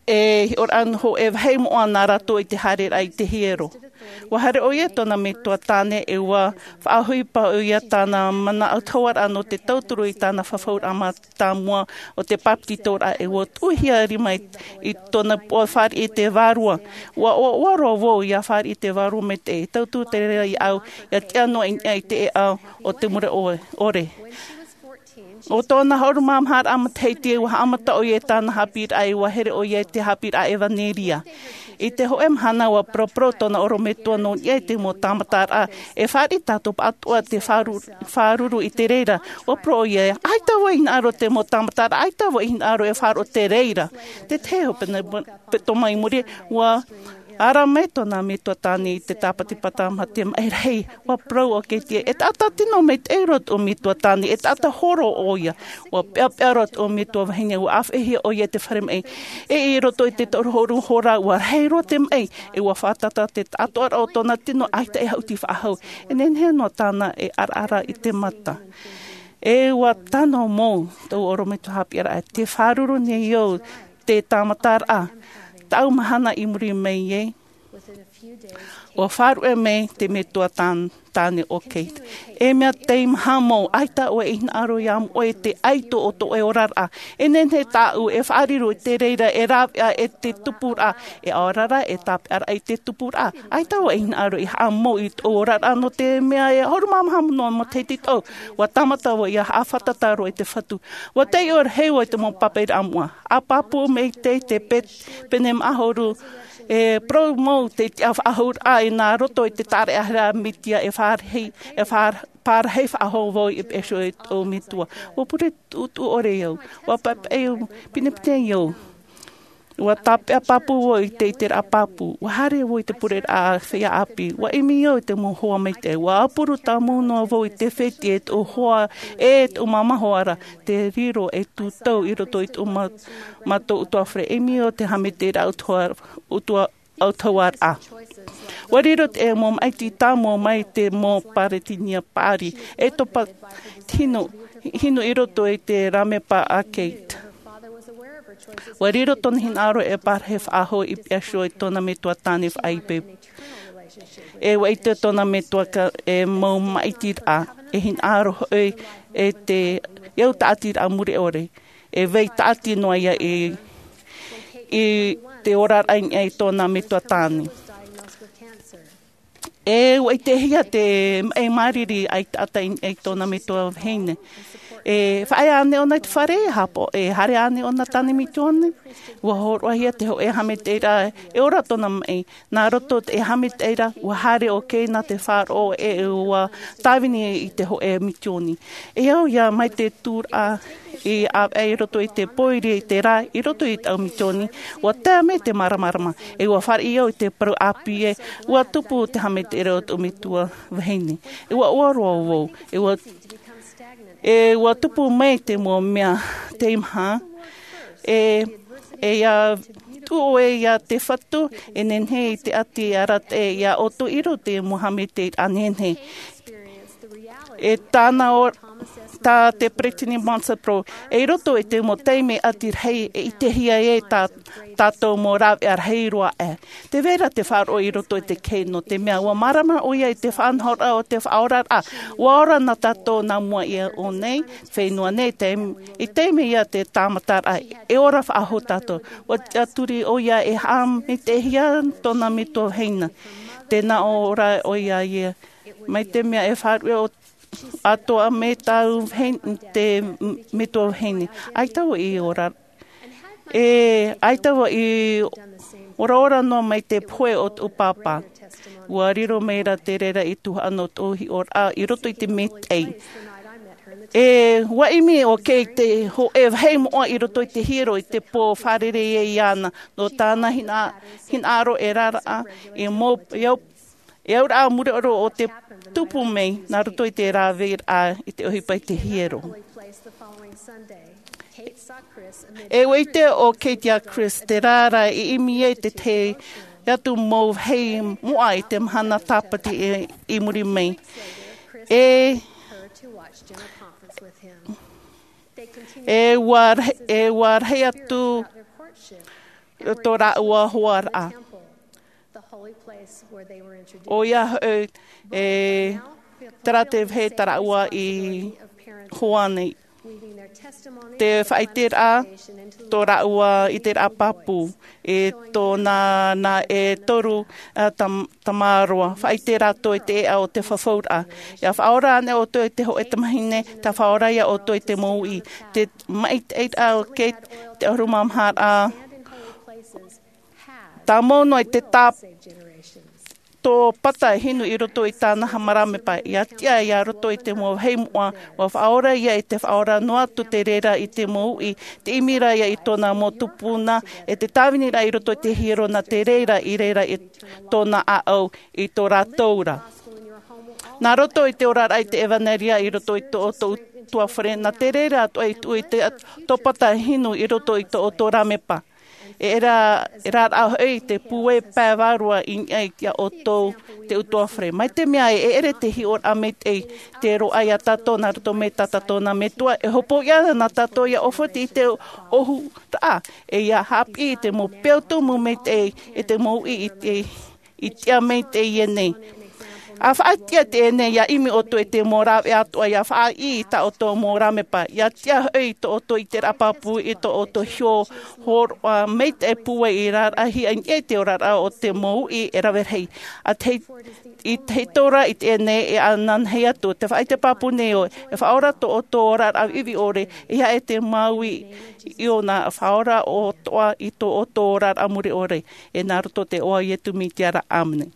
E hiʻoraʻa hōʻē vāhi moʻa nā rātou i te haereraʻa i te hiero. ʻUa haere ʻoia tōna metua tāne e ʻua faʻaʻohipa ʻoia tāna manaʻo hauaraʻa nō te tauturu i tāna fafauraʻa mātāmua o te bāpetizoraʻa e ʻua tuʻuhia rima i, i tōna puʻa fāriʻi i te vārua. ʻUa, ʻua, ʻua roa vau ia fāriʻi i te vārua maitaʻi, e tauturu te reira iāʻu, ia tiʻa noa i niʻa i te ʻēʻa o te mure ʻore. ʻO tōna ʻahuru mā maha raʻa matahiti ʻua haʻamata ʻoia i tāna haʻapiʻiraʻa e ʻua here ʻoia i te haʻapiʻiraʻa ʻevanelia. I te hōʻē mahana ʻua paraparau tōna ʻorometua nō niʻa i te mau tāmataraʻa, e fāriʻi tātou pāʻatoʻa te fāru-, fāruru i te reira. ʻUa parau ʻoia, ʻaita vau i hinaʻaro te mau tāmataraʻa, ʻaita vau i hinaʻaro e faʻaroʻo te reira. Te tahi hoʻi pene-, petomaimuri, ʻua ara mai tōna metua tāne i te tāpatipata mā te maʻi rahi. ʻUa parau ʻo Katie, e taʻata tino maitaʻi roa tōʻu metua tāne, e taʻata horo ʻoia. ʻUa peʻapeʻa roa tōʻu metua vahine, ʻua ʻāfaʻihia ʻoia i te fare maʻi. E i roto i te toru ʻahuru hora, ʻua rahi roa te maʻi, e ʻua fātata te taʻatoʻaraʻa o tōna tino, ʻaita e haʻuti faʻahou. E nehenehe noa tāna e ʻaraʻara i te mata. E ʻua tano mau tōʻu ʻorometua haʻapiʻiraʻa, tē fāruru nei au te tāmataraʻa. Taʻu mahana i muri mai ai, ʻua faʻaruʻe mai te metua tān-, tāne ʻo Kate. E mea teimaha mau, ʻaita ʻoe i hinaʻaro iā moʻoe te ʻaito o tō ʻoe oraraʻa. E nehenehe tāʻu e faʻariro i te reira e rāveʻa e te tupuraʻa, e ʻaoraraʻa, e tāpeʻaraʻa i te tupuraʻa. ʻAita vau i hinaʻaro i haʻamau i tōʻu oraraʻa nō te mea e ʻahuru mā maha noa matahiti tōʻu. ʻUa tāmata vau ia haʻafātata roa i te Fatu. ʻUa taiʻo rahi vau i te mau papairaʻa moʻa. ʻA pāpū maitaʻi te pe-, pene maʻa ʻahuru, e parau mau te tiʻa faʻahouraʻa i nā roto i te tāraʻehara a Mesia e fārahi, e fā-, pārahi faʻahou vau i peʻe iho i tōʻu metua. ʻUa pure tuʻutuʻu ʻore au. ʻUa papaʻi au, pinepine au. ʻUa tāpeʻa pāpū vau i te, i te ʻiteraʻa pāpū. ʻUa haere vau i te pureraʻa feiā ʻāpī. ʻUa ʻimi au i te mau hoa maitaʻi. ʻUa ʻapuru tāmau noa vau i te fētiʻi e tōʻu hoa, e tōʻu māmā hoa ra, te riro e tūtau i roto i tōʻu mā-, mātou utuafare. ʻImi au te haʻamaitaʻiraʻa utua-, utua-, autahuʻaraʻa. ʻUa riro te mau maʻiti tāmau mai te mau pāretinia paʻari, e topa hinu, hinu i roto i te rāmepa a Kate. ʻUa riro tōna hinaʻaro e pārahi faʻahou i peʻe iho i tōna metua tāne faʻaipoipo. E ʻua ʻite tōna metua ka-, e mau maʻitiraʻa, e hinaʻaro hoʻi e te, e au tāʻatiraʻa mure ʻore. E vai tāʻati noa ia i, i te oraraʻa i niʻa i tōna metua tāne. E ʻua ʻitehia te maʻi māriri ʻaitaʻata i niʻa i tōna metua vahine. E faʻaea ānei ʻōna i te fare, e haʻapaʻo, e haere ānei ʻōna tāne misiōni. ʻUa hōroʻahia te hōʻē haʻamaitaʻiraʻa, e ora tōna maʻi. Nā roto i te haʻamaitaʻiraʻa, ʻua haere ʻo Kate nā te faʻaroʻo e ʻua tāvini i te hōʻē misiōni. E au ia mai te tūraʻa i ʻāvaʻe i roto i te pōiri i te rā, i roto i taʻu misiōni, ʻua tae mai te māramarama, e ʻua fāriʻi au i te parau ʻāpī ē, ʻua tupu te haʻamaitaʻiraʻa o tōʻu metua vahine. E ʻua ʻore roa vau, e ʻua, e ʻua tupu mai te mau mea teimaha, e, e ia tuʻu ʻoe ia te Fatu, e nehenehe i te ʻati arataʻi ia ʻoutou i roto i te mau haʻamaitaʻiraʻa nehenehe. E tāna ʻo, tā te Peresideni Monson parau, e i roto i te mau taime ʻati rahi, e ʻitehia e tā, tātou mau rāveʻa rahi roa aʻe. Tē vai ra te faʻaroʻo i roto i te kehe nō te mea ʻua mārama ʻoia i te faʻanahoraʻa o te faʻaoraraʻa. ʻUa ora na tātou nā mua iho nei, fenua nei, taim-, i taime ia te tāmataraʻa, e ora faʻahou tātou. ʻUa tiʻaturi ʻoia e haʻamaitaʻihia tōna metua vahine. Tē nā ʻō ra ʻoia ia. Mai te mea e faʻaruʻe ʻo atoʻa mai tāʻu vahine, te m-, metua vahine. ʻAita vau i ora. E, ʻaita vau i oraora noa mai te pohe o tōʻu pāpā. ʻUa riro mai ra te reira i tuhaʻa nō tōʻu hiʻoraʻa i roto i te maitaʻi. E, ʻua ʻimi ʻo Kate i te hōʻē vāhi moʻa i roto i te hiero i te pō fārerei ai iāna. Nō tāna hina-, hinaʻaro e raraʻa, i mau, i au E auraʻa mure ʻore o te tupu mai nā roto i te rāveʻa i te ʻohipa i te hiero. E ʻite ʻo Kate ia Chris te reira i ʻimi ai te tahi atu mau vāhi moʻa i te mahana Tāpati i muri mai. E E ua rahi, e ua rahi atu tō rāua hoaraʻa. ʻOia hoʻi, e, terā te vāhi tā rāua i hoa nei. Te faʻaʻiteraʻa tō rāua i te rā pāpū, e tōna nā e toru, a, tam-, tamaroa. Faʻaʻite rātou i te ʻēʻa o te fafauraʻa. ʻIa faʻaora ānei ʻoutou i te hōʻē tamahine, tē faʻaora ia ʻoutou i te mouʻi. Te maitaʻi o Kate, te ʻahuru mā maha rā. Tāmau noa i te tā-, tōpata hinu i roto i tāna haʻamāramepa. ʻIa tiʻa ia roto i te mau vāhi moʻa, ʻua faʻaora ia i te faʻaora noa atu te reira i te mouʻi, te ʻimi ra ia i tōna mau tupuna, e te tāviniraʻa i roto i te hiero nā te reira i reira i tōna ʻāʻau i tō rātou ra. Nā roto i te oraraʻa i te ʻevanelia i roto i tō ʻoutou utuafare, nā te reira atoʻa i tuʻu i te tōpata hinu i roto i tō ʻoutou ramepa. E ra-, e rāraʻa hoʻi te pūai pae vārua i niʻa iā ʻoutou te utuafare. Mai te mea e ʻere te hiʻoraʻa maitaʻi te roaʻa iā tātou nā roto mai tā tātou nā Metua, e hopoiʻa na tātou ʻia ʻōfaʻi i te ʻōhuraʻa, e ʻia haʻapiʻi i te mau peu tumu maitaʻi, e te mouʻi i te, i tiʻa maitaʻi ē nei. ʻA faʻatiʻa teie nei, ʻia ʻimi ʻoutou i te mau rāveʻa atoʻa, ʻia faʻaʻī i tā ʻoutou mau ramepa, ʻia tiʻa hoʻi i tō ʻoutou ʻiteraʻa pāpū, i tō ʻoutou hiʻo hōroʻa maitaʻi pūai i rāraʻahia i niʻa i te oraraʻa o te mouʻi e rave rahi. ʻA te, i te hiʻoraʻa i teie nei e ananahi atu, te faʻaʻite pāpū nei ʻoe, e faʻaora tō ʻoutou oraraʻa viʻiviʻi ʻore, e ʻia ʻē te māuiui ʻōna, faʻaora atoʻa i tō ʻoutou oraraʻa mure ʻore, e nā roto te iʻoa o Iesu Mesia ra, ʻāmene.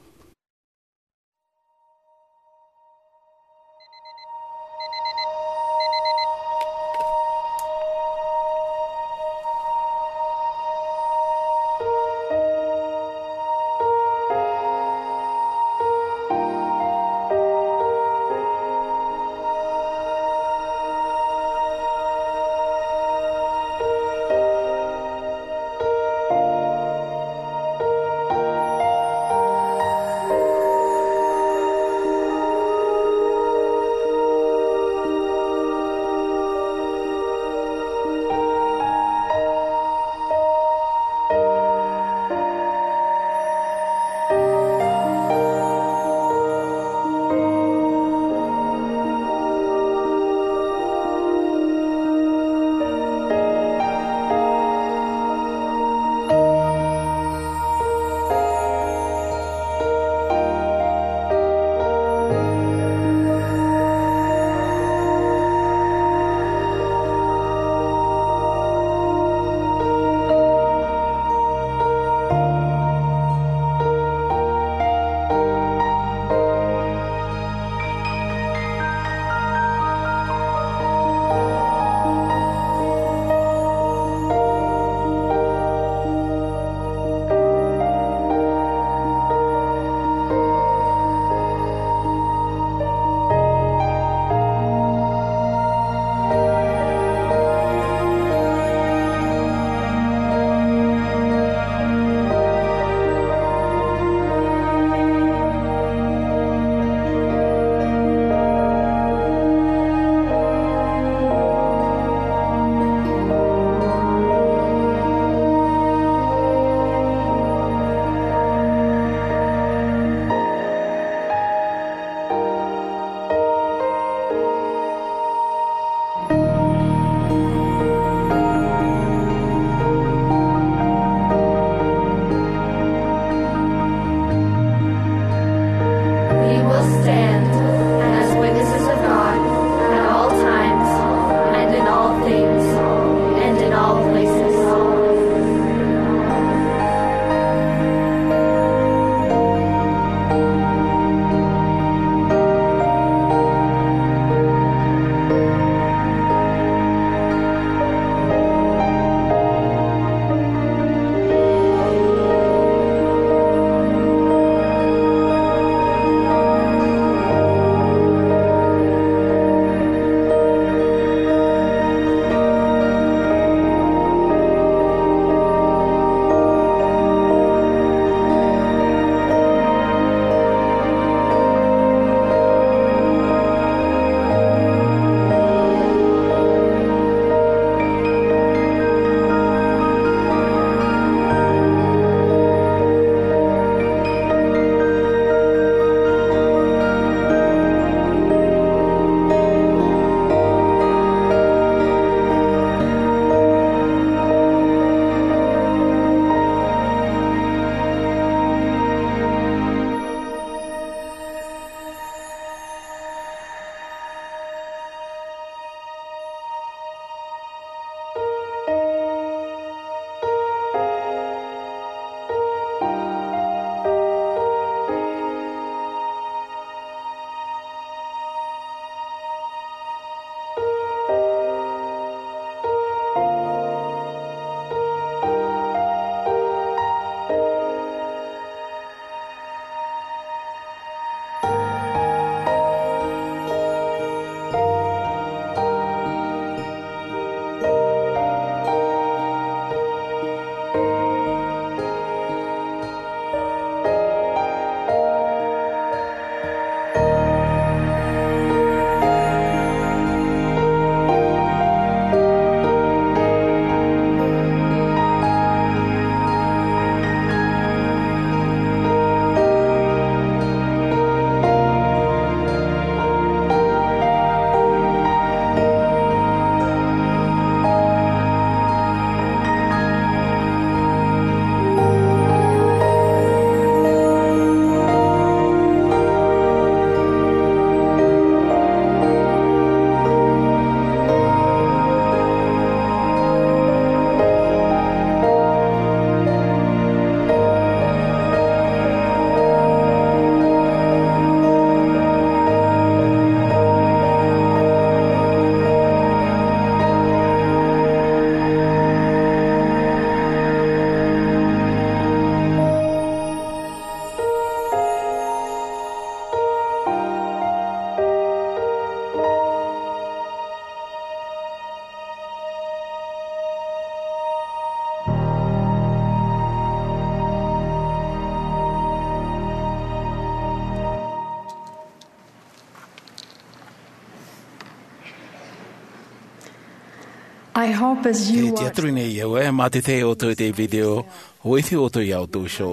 I hope as you E te watch aturi nei au e mā te te ʻoutou i te video, ʻua ʻite ʻoutou iā ʻoutou iho.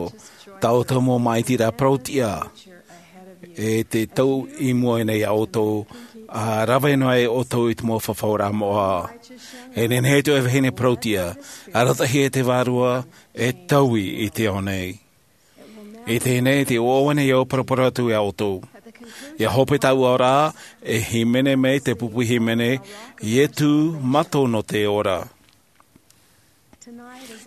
Tā ʻoutou mau māʻitiraʻa parau-tiʻa e te tau i mua nei iā ʻoutou, ʻa rave noa ai ʻoutou i te mau fafauraʻa moʻa. E nehenehe tō e vahine parau-tiʻa, arataʻi e te Vārua, e taui i te ao nei. I teie nei te ʻoaʻoa nei au parapara atu iā ʻoutou. ʻIa hope tāʻu aoraʻa, e hīmene mai te pupu hīmene, Ietu Mato nō te ora.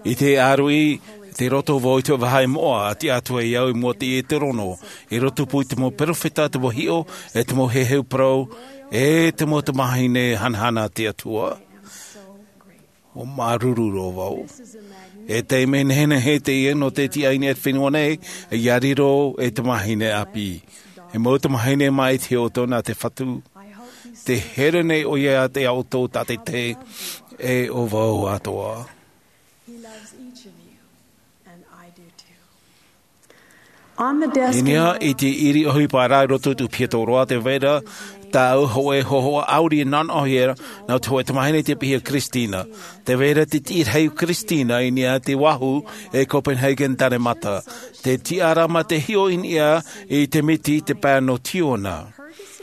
I te ʻāruʻi, te roto vau i te vāhi moʻa, ʻa tiʻa atu ai au i mua i te terono, i roto pū i te mau peropheta, te mau hiʻo, e te mau heheu parau, e te mau tamāhine hanahana a te Atua. ʻUa māuruuru roa vau. E taime nehenehe teie nō te tiʻa i niʻa i te fenua nei, ʻia riro e tamāhine ʻāpī. E mau tamāhine māʻiti ʻoutou nā te Fatu. Tē here nei ʻoia iā ʻoutou tātaʻitahi, e ʻo vau atoʻa. He loves each of you, and I do too. On the desk I niʻa i te ʻiri ʻohipa ra i roto i te piato roa, tē vai ra tāʻu hōʻē hōhoʻa ʻāuri nā ʻō hia, nā te hōʻē tamāhine tei piha Christina. Tē vai ra te tiʻi rahi o Christina i niʻa i te vāhi e Copenhagen, Danemata. Te tiʻaraʻa mā te hiʻo i niʻa i te miti, te pae nō Tiona.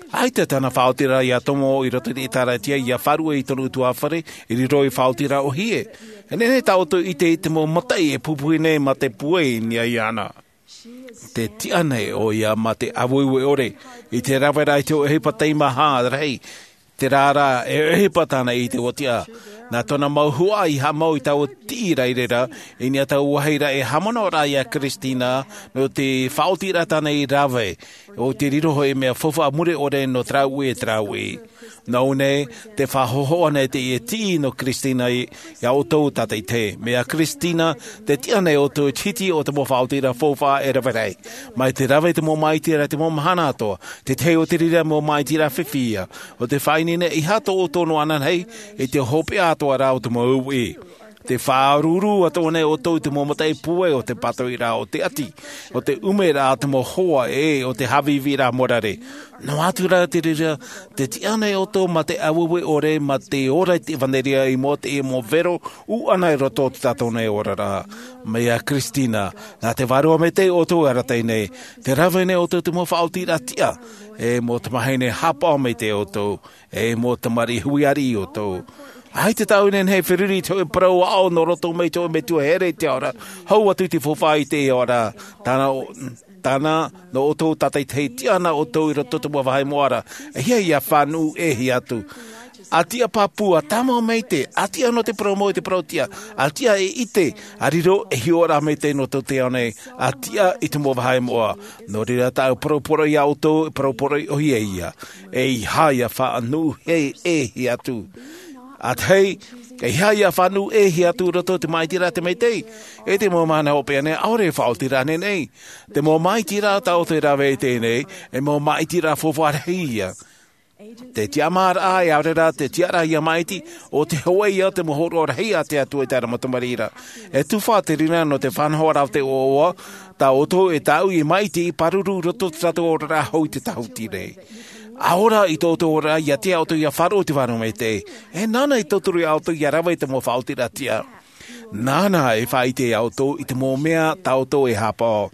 ʻAita tāna faʻaotiraʻa ʻia tomo i roto i te ʻĒtārētia, ʻia faʻaruʻe i tōna ʻutuāfare, i riro i te faʻaotiraʻa ʻōhie. E nehenehe tā ʻoutou e ʻite i te mau mataʻi e pupuhi nei mā te pūai i niʻa iāna. Tē tiʻa nei ʻoia mā te ʻāueue ʻore, i te rave ra i te hōʻē ʻohipa teimaha rahi, terā rā, e ʻohipa tāna i te uaʻa. Nā tōna mau huaʻai i haʻamau i taua tiʻi ra i reira, i niʻa i taua vāhi ra e haʻamanaʻoraʻa iā Christina, nō te faʻaotiraʻa tāna i rave, ʻo te riro hoʻi mea faufaʻa mure ʻore nō terā uʻi e terā uʻi. Nō ʻō nei, tē faʻahōhoʻa nei teie tiʻi nō Christina i, iā ʻoutou tātaʻitahi. Mea Christina, tē tiʻa nei ʻoutou i te hiti o te mau faʻaotiraʻa faufaʻa e rave rahi. Mai te rave te mau māʻitiraʻa te mau mahana atoʻa, te tahi o te reira mau māʻitiraʻa fifi ïa. ʻO te faʻaineine, ʻeiaha tō ʻoutou noa anaʻe i te hopeʻa atoʻa ra o te mau uʻi. Tē faʻaruʻuruʻu atoʻa nei ʻoutou i te mau mataʻi pūai o te pātoʻiraʻa o te ʻati, o te ʻumeraʻa te mau hoa ʻē, o te haʻavīvīraʻa morare. Noa atu rā te reira, tē tiʻa nei ʻoutou mā te ʻāueue ʻore, mā te ora i te ʻevanelia i mua i te mau vero ʻūʻana i roto i tō tātou nei oraraʻa. Mai iā Christina, nā te Vārua Maitaʻi ʻoutou e arataʻi nei, tē rave nei ʻoutou i te mau faʻaotiraʻa tiʻa, e mau tamāhine haʻapaʻo maitaʻi ʻoutou, e mau tamariʻi hui ariʻi ʻoutou. ʻAita tāʻu e nehenehe e feruri i te hōʻē parau aʻo nō roto mai i te hōʻē metua here i te ao ra, hau atu i te faufaʻa i te ao ra, tāna ʻo, tāna nō ʻoutou tātaʻitahi, tiʻa na ʻoutou i roto i te mau vāhi moʻa ra, ʻeiaha ʻia faʻanuʻu ʻē hia atu. ʻA tiʻa pāpū, ʻa tāmau maitaʻi, ʻa tiʻa nō te parau mau i te parau tiʻa, ʻa tiʻa e ʻite, ʻa riro e hiʻoraʻa maitaʻi nō tō te ao nei, ʻa tiʻa i te mau vāhi moʻa. Nō reira tāʻu e poroporoʻi iā ʻoutou, e poroporoʻi ʻōhie ïa. ʻEiaha ʻia faʻanuʻu ʻē hia atu. ʻA tahi, ʻeiaha ʻia faʻanuʻu ʻē hia atu i roto i te māʻitiraʻa a te Maitaʻi. E te mau mahana hopeʻa nei, ʻaore e faʻaotiraʻa ānei. Te mau māʻitiraʻa tā ʻoutou e rave i teie nei, e mau māʻitiraʻa faufaʻa rahi ïa. Te tiʻamāraʻa, ʻaore rā te tiʻaraʻa ʻia māʻiti, ʻo te hōʻē ïa o te mau hōroʻa rahi a te Atua i terā mau tamariʻi ra. E tufa te reira nō te faʻanahoraʻa o te ʻoaʻoa, tā ʻoutou e tāʻu i māʻiti i pāruru i roto i tō tātou oraraʻa hou i te tāhuti nei. ʻA ora i tō ʻoutou oraraʻa, ʻia tiʻa ʻoutou ʻia faʻaroʻo i te Vārua Maitaʻi. E nāna e tauturu iā ʻoutou ʻia rave i te mau faʻaotiraʻa tiʻa. Nāna e faʻaʻite iā ʻoutou i te mau mea tā ʻoutou e haʻapaʻo.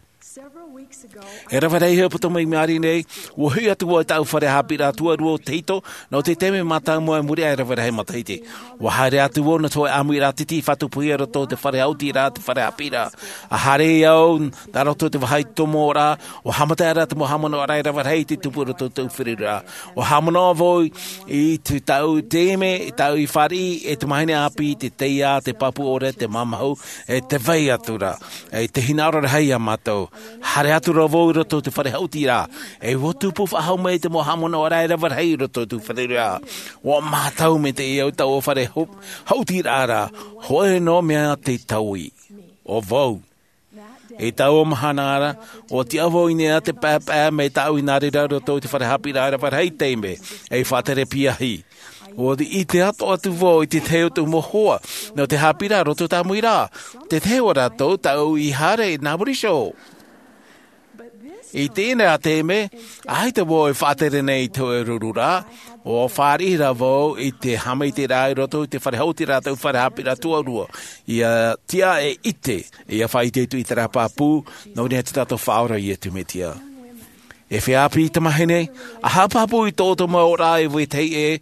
E rave rahi ʻohipa tō mai i maʻiri nei, ʻua hoʻi atu vau i tāʻu fare haʻapiʻiraʻa tuarua o tahito, nō te taime mātāmua i muri aʻe i te rave rahi matahiti. ʻUa haere atu vau nō te hōʻē ʻāmuiraʻa titi i faʻatupuhia i roto i te fare haʻutiraʻa, te fare haʻapiʻiraʻa. ʻA haere au nā roto i te vāhi tomo ra, ʻua haʻamata ra te mau haʻamanaʻoraʻa e rave rahi i te tupu i roto i tōʻu feruriraʻa. ʻUa haʻamanaʻo vau i te, tāʻu taime, tāʻu i fāriʻi e te tamāhine ʻāpī, te taiā, te pāpū ʻore, te māmahu, e tē vai atu ra, e te hinaʻaro rahi iā mātou. Haere atu ra vau i roto i te fare haʻutiraʻa, e ʻua tupu faʻahou mai te mau haʻamanaʻoraʻa e rave rahi i roto i tōʻu feruriraʻa. ʻUa mātau maitaʻi au i taua fare hau-, haʻutiraʻa ra, hōʻē noa mea te taui. ʻO vau. I taua mahana ra, ʻua tiʻa vau i niʻa i te paepae mai tāʻu i nā reira i roto i te fare haʻapiʻiraʻa e rave rahi taime, ei faʻatere piahi. ʻUa ʻite atoʻa atu vau i te tahi o tōʻu mau hoa, nō te haʻapiʻiraʻa i roto i te ʻāmuiraʻa. Te tahi o rātou tāʻu i haere nā muri iho. I teie nei taime, ʻaita vau e faʻatere nei i te hōʻē ruru rā, ʻua fāriʻi rā vau i te haʻamaitaʻiraʻa i roto i te fare haʻutiraʻa, te fare haʻapiʻiraʻa tuarua, ʻia tiʻa e ʻite, ʻia faʻaʻite atu i terā pāpū, nō niʻa i tō tātou Faʻaora Iesu Mesia. E feiā ʻāpī tamāhine, ʻa haʻapāpū i tō ʻoutou mau oraraʻa e vetahi ʻē,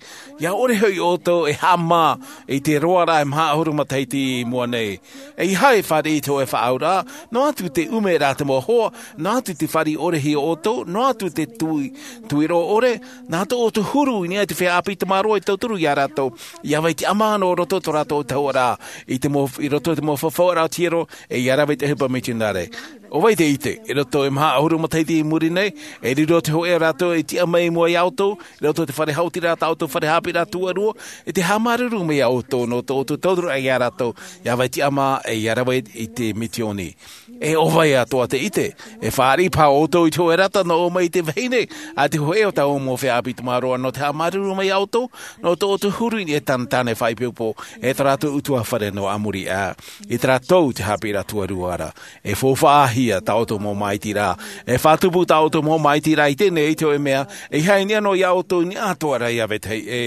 ʻia ʻore hoʻi ʻoutou e haʻamā i te roaraʻa e maha ʻahuru matahiti i mua nei. ʻEiaha e fāriʻi i te hōʻē faʻaauraʻa, noa atu te ʻumeraʻa te mau hoa, noa atu te fāriʻi ʻore iho ʻoutou, noa atu te tui, tuiroʻa ʻore, nā tō ʻoutou huru i niʻa i te feiā ʻāpī tamāroa e tauturu ia rātou, ʻia vai tiʻamā nō roto i tō rātou tahuʻaraʻa, i te mau, i roto i te mau fafauraʻa o te hiero, e ʻia rave i te ʻohipa mitionare. ʻO vai te ʻite, i roto i te maha ʻahuru matahiti i muri nei, e riro te hōʻē rātou e tiʻa mai i mua ia ʻoutou, i roto i te fare haʻutiraʻa, tā ʻoutou fare haʻapiʻiraʻa tuarua, e te haʻamāuruuru mai ia ʻoutou, nō tō ʻoutou tauturu ia rātou, ʻia vai tiʻamā, e ʻia rave i te misiōni. E ʻo vai atoʻa te ʻite, e fāriʻi paha ʻoutou i te hōʻē rata nō ʻō mai i te vahine, ʻa te hōʻē o tā ʻoutou mau feiā ʻāpī tamāroa nō te haʻamāuruuru mai ia ʻoutou, nō tō ʻoutou huru i niʻa i tāna tāne faʻaipoipo, e tā rātou ʻutuāfare nō ʻamuri ā. I terā tau te haʻapiʻiraʻa tuarua ra. E faufaʻahia tā ʻoutou mau māʻitiraʻa. E faʻatupu tā ʻoutou mau māʻitiraʻa i teie nei i te hōʻē mea, ʻeiaha i niʻa noa ia ʻoutou i niʻa atoʻa ra ia vetahi ʻē.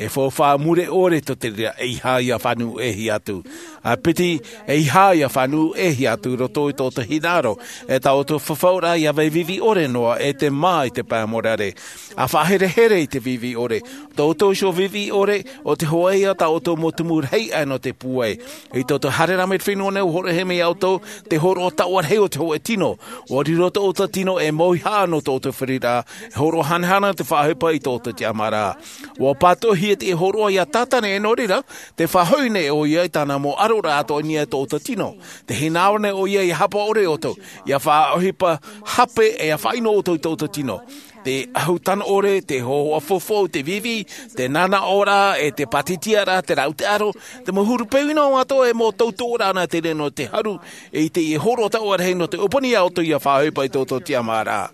E faufaʻa mure ʻore tō te reira, ʻeiaha ʻia fānuʻuhia atu. ʻA piti, ʻeiaha ʻia fānuʻuhia atu i roto i tō ʻoutou hinaʻaro, e tā ʻoutou fafauraʻa ʻia vai vivi ʻore noa, e te mā i te pae morare. ʻA faʻaherehere i te vivi ʻore. Tō ʻoutou iho vivi ʻore, ʻo te hōʻē ia tā ʻoutou mau tumu rahi aʻe nō te pūai. I tō ʻoutou haereraʻa mai i te fenua nei, ʻua hōroʻahia mai ia ʻoutou te hōroʻa taoʻa rahi o te hōʻē tino. ʻUa riro tō ʻoutou tino ei mauhaʻa nō tō ʻoutou feruriraʻa, e hōroʻa hanahana te faʻaʻohipa i tō ʻoutou tiʻamāraʻa. ʻUa pātoʻihia teie hōroʻa ia Satane, nō reira, tē faʻahoʻi nei ʻoia i tāna mau ʻaroraʻa atoʻa i niʻa i tō ʻoutou tino. Tē hinaʻaro nei ʻoia ʻia haʻapaʻo ʻore ʻoutou, ʻia faʻaʻohipa hape, e ʻia faʻaʻino ʻoutou i tō ʻoutou tino. Te ʻahu tano ʻore, te hōhoʻa fofou, te vivi, te nānaʻoraʻa, e te pātitiaraʻa, te rāʻau, te ʻaro, te mau huru peu ʻino atoʻa, e mau tautoʻoraʻa nā te reira nō te haru, e i teie hōroʻa taoʻa rahi nō te ʻōpani ia ʻoutou ʻia faʻaʻohipa i tō ʻoutou tiʻamāraʻa.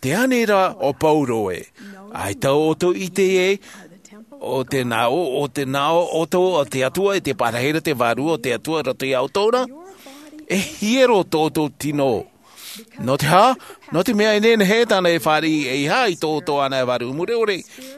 Tē ani ra ʻo Paulo ē. ʻAita ʻoutou i ʻite ē, ʻo te nāʻō, ʻo te nāʻō ʻoutou o te Atua, e te parahiraʻa, te Vārua o te Atua i roto ia ʻoutou ra. E hiero tō ʻoutou tino. Nō te aha? Nō te mea e nehenehe tāna e fāriʻi ʻeiaha i tō ʻoutou anaʻe vārua mure ʻore,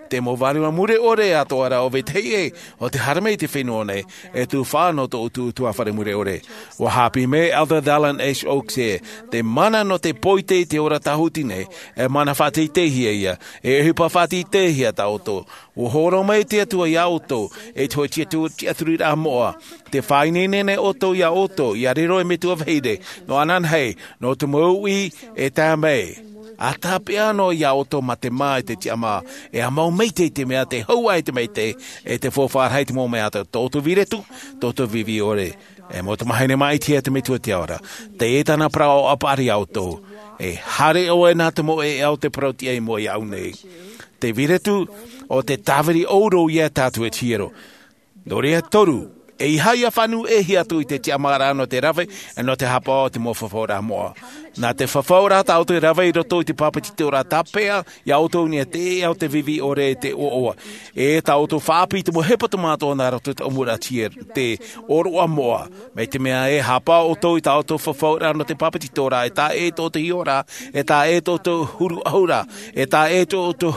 te mau vārua mure ʻore atoʻa ra ʻo vetahi ʻē, ʻo tē haere mai i te fenua nei, e tufaʻa nō tō ʻoutou ʻutuāfare mure ʻore. ʻUa haʻapiʻi mai Elder Dallin H. Oaks ē, te mana nō te poite i te ora tāhuti nei, e mana faʻateiteihia ia, e ʻohipa faʻateiteihia tā ʻoutou. ʻUa hōroʻa mai te Atua ia ʻoutou, e te hōʻē tiʻaturi, tiʻaturiraʻa moʻa. Tē faʻaineine nei ʻoutou ia ʻoutou, ʻia riro ei metua vahine, nō ananahi, nō te mau uʻi e tae mai. ʻA tāpeʻa noa ia ʻoutou mā te mā e te tiʻamā, e ʻa mau maitaʻi i te mea tē hau ai te maitaʻi, e te faufaʻa rahi i te mau mea atoʻa, tō ʻoutou viretu, tō ʻoutou vivi ʻore. E mau tamāhine maitaʻi e te Metua i te ao ra. Teie tāna parau ʻapaʻari ia ʻoutou. E haere ʻoe nā te mau ʻēʻa o te parau-tiʻa i mua iāʻu nei. Te viretu, ʻo te tāviri ʻōrero ia tātou e te hiero. Nō reira toru, ʻeiaha ʻia fānuʻuhia atu i te tiʻamāraʻa nō te rave, e nō te haʻapaʻo i te mau fafauraʻa moʻa. Nā te fafauraʻa tā ʻoutou e rave i roto i te pāpetitoraʻa tāpeʻa, ia ʻoutou i niʻa i te ʻēʻa o te vivi ʻore e te ʻoaʻoa. E tā ʻoutou faʻaʻāpī i te mau hepetoma atoʻa nā roto i te ʻōmuraʻa tiʻa, te ʻōroʻa moʻa. Mai te mea ē, haʻapaʻo ʻoutou i tā ʻoutou fafauraʻa nō te pāpetitoraʻa, e taʻa ʻē tō ʻoutou hiʻoraʻa, e taʻa ʻē tō ʻoutou huru ʻahuraʻa, e taʻa ʻē tō ʻoutou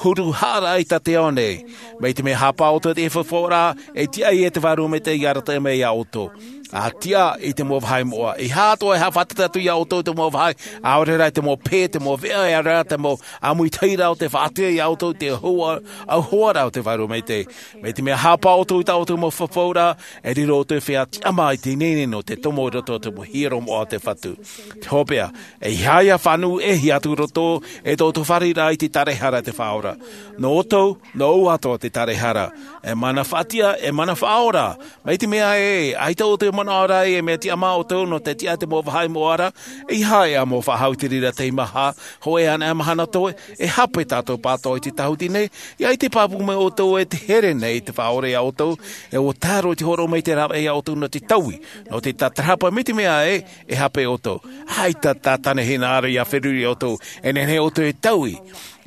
huru haʻaraʻa i tā te ao nei. Mai te mea haʻapaʻo ʻoutou i te fafauraʻa, e tiʻa ia te Vārua Maitaʻi ʻia arataʻi mai ia ʻoutou. ʻA tiʻa i te mau vāhi moʻa. ʻEiaha atoʻa e haʻafātata atu ia ʻoutou i te mau vāhi, ʻaore rā i te mau pē, te mau veʻa, ʻaore rā te mau ʻāmuitahiraʻa o tē faʻaʻite ia ʻoutou i te hua-, ʻauhoaraʻa o te Vārua Maitaʻi. Mai te mea haʻapaʻo ʻoutou i tā ʻoutou mau fafauraʻa, e riro ʻoutou ei feiā tiʻamā i te ineine nō te tomo i roto i te mau hiero moʻa o te Fatu. Te hopeʻa, ʻeiaha ʻia fānuʻuhia atu i roto i tō ʻoutou fārereiraʻa i te taraehara a te Faʻaora. Nō ʻoutou, nō ʻoutou atoʻa te taraehara. E mana faʻatiʻa, e mana faʻaora. Mai te mea ē, ʻaita ʻoutou e manaʻo ra ē, e mea tiʻamā ʻoutou nō te tiʻa i te mau vāhi moʻa ra, ʻeiaha e ʻamo faʻahou i te reira teimaha, hōʻē anaʻe mahana toe, e hape tātou pātoʻi i te tāhuti nei, ʻia ʻite pāpū mai ʻoutou ē tē here nei te Faʻaora ia ʻoutou, e ʻua tae roa i te hōroʻa mai i te rāveʻa ia ʻoutou nō te taui, nō te tātarahapa mai te mea ē, e hape ʻoutou. ʻAita Satane e hinaʻaro ʻia feruri ia ʻoutou, e nehenehe ʻoutou e taui.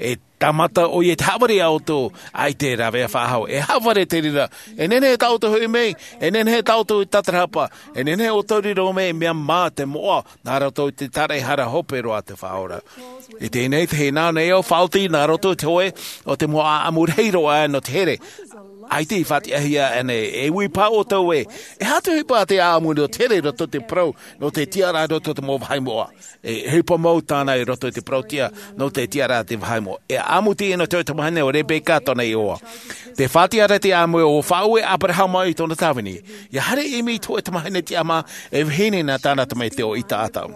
E tāmata ʻoia i te haʻavare iā ʻoutou, ʻaita e rave faʻahou. E haʻavare te reira. E nehenehe tā ʻoutou e hoʻi mai, e nehenehe tā ʻoutou e tātarahapa, e nehenehe ʻoutou e riro mai, mea mā te moʻa, nā roto i te tāraʻehara hope roa te Faʻaora. I teie nei, te hinaʻaro nei au, faʻaoti nā roto i te hoe o te mau ʻāʻamu rahi roa nō te here. ʻAita i faʻatiʻahia ānei, e ui paha ʻoutou ē, e aha te ʻohipa a te ʻāʻamu nō te here i roto i te parau, nō te tiʻaraʻa i roto i te mau vāhi moʻa? E ʻohipa mau tāna i roto i te parauʻtiʻa, nō te tiʻaraʻa i te vāhi moʻa. E ʻāʻamu teie nō te tamahine o Rebeka tōna iʻoa. Tē faʻatiʻa ra te ʻāʻamu ē, ʻua faʻaue ʻo Aberahama i tōna tāvini. ʻIa haere ʻimi i te hōʻē tamahine tiʻamā, e vahine nā tāna tamaiti ʻo Isaaka.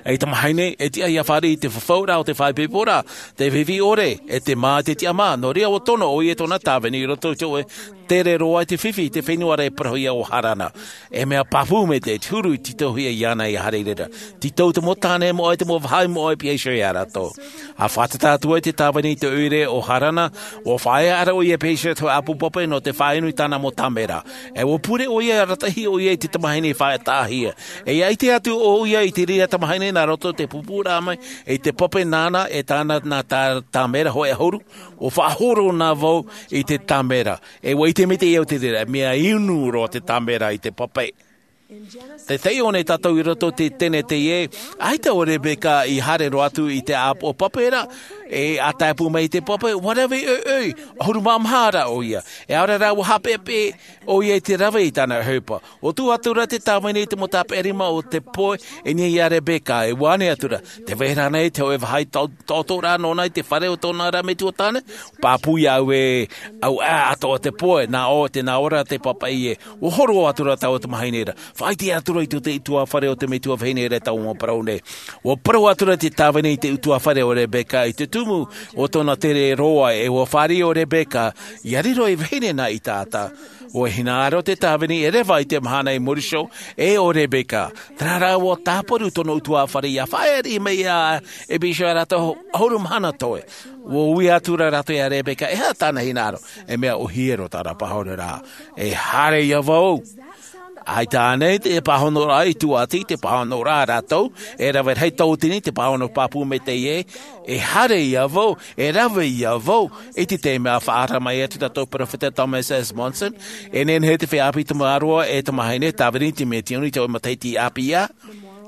E tamahine, e tiʻa ʻia fāriʻi i te fafauraʻa o te faʻaipoiporaʻa, te vivi ʻore, e te mā i te tiʻamā, nō reira ʻua tono ʻoia i tōna tāvini i roto i te hōʻē tere roa i te fifi, i te fenua ra e parauhia ʻo Harana. E mea pāpū maitaʻi te huru i tītauhia iāna ʻia haere i reira. Tītau te mau tāne moʻa, te mau vāhi moʻa e pihaʻi iho ia rātou. ʻA fātata atu ai te tāvini i te ʻoire o Harana, ʻua faʻaea ra ʻoia e pihaʻi iho i te hōʻē ʻāpō pape nō te faʻainu i tāna mau tāmera. E ʻua pure ʻoia, arataʻi ʻoia i te tamahine i faʻataʻahia. E ʻia ʻite atu ʻoia i te reira tamahine nā roto i te pūpūraʻa mai i te pape nāna e tāna nā tā-, tāmera hōʻē ʻahuru, ʻua faʻahoro na vau i te tāmera. E ʻua ʻite maitaʻi au i te reira, mea inu roa te tāmera i te pape. Tē taiʻo nei tātou i roto i te Tenete ē, ʻaita ʻo Rebeka i haere roa atu i te ʻāpō pape ra, e ʻa tae pū mai i te pape, ʻua rave ʻoiʻoi, ʻahuru mā maha ra ʻoia. E ʻaore rā ʻua haʻapeʻapeʻa ʻoia i te rave i tāna ʻohipa. ʻUa tuʻu atu ra te tāvini i te mau tāpeʻa rima o te poe, e niʻa iā Rebeka, e ʻua ʻānaʻe atu ra. Tē vai ra ānei te hōʻē vāhi tau-, taʻotoraʻa nōna i te fare o tōna ra metua tāne? Pāpū iā ʻoe, ʻauaʻa atoʻa te poe, nā ʻō, tē nā ʻō ra te papaʻi ē. ʻUa horo atu ra taua tamahine ra. Faʻaʻite atu ra i te, te ʻutuāfare o te metua vahine ra i taua mau parau nei. ʻUa parau atu ra te tāvini i te ʻutuāfare o Rebeka i te tumu o tōna tere roa, e ʻua fāriʻi ʻo Rebeka, ʻia riro ei vahine nā Isaaka. ʻUa hinaʻaro te tāvini e reva i te mahana i muri iho, e ʻo Rebeka. Terā rā ʻua tāparu tōna ʻutuāfare ʻia faʻaea mai ā, e pihaʻi iho ia rātou ʻahuru mahana toe. ʻUa ui atu ra rātou iā Rebeka, e aha tāna hinaʻaro, e mea ʻōhie roa tāna pāhonoraʻa. E haere ia vau. ʻAita ānei te pāhonoraʻa i tūʻati, te pāhonoraʻa a rātou, e rave rahi tauatini te pāhono pāpū maitaʻi ē, e haere ia vau, e rave ia vau, i te taime ʻa faʻaara mai atu tā tātou perofeta Thomas S. Monson, e nehenehe te feiā ʻāpī tamāroa e tamahine, tāvini i te Misiōni i te hōʻē matahiti ʻāpī ā.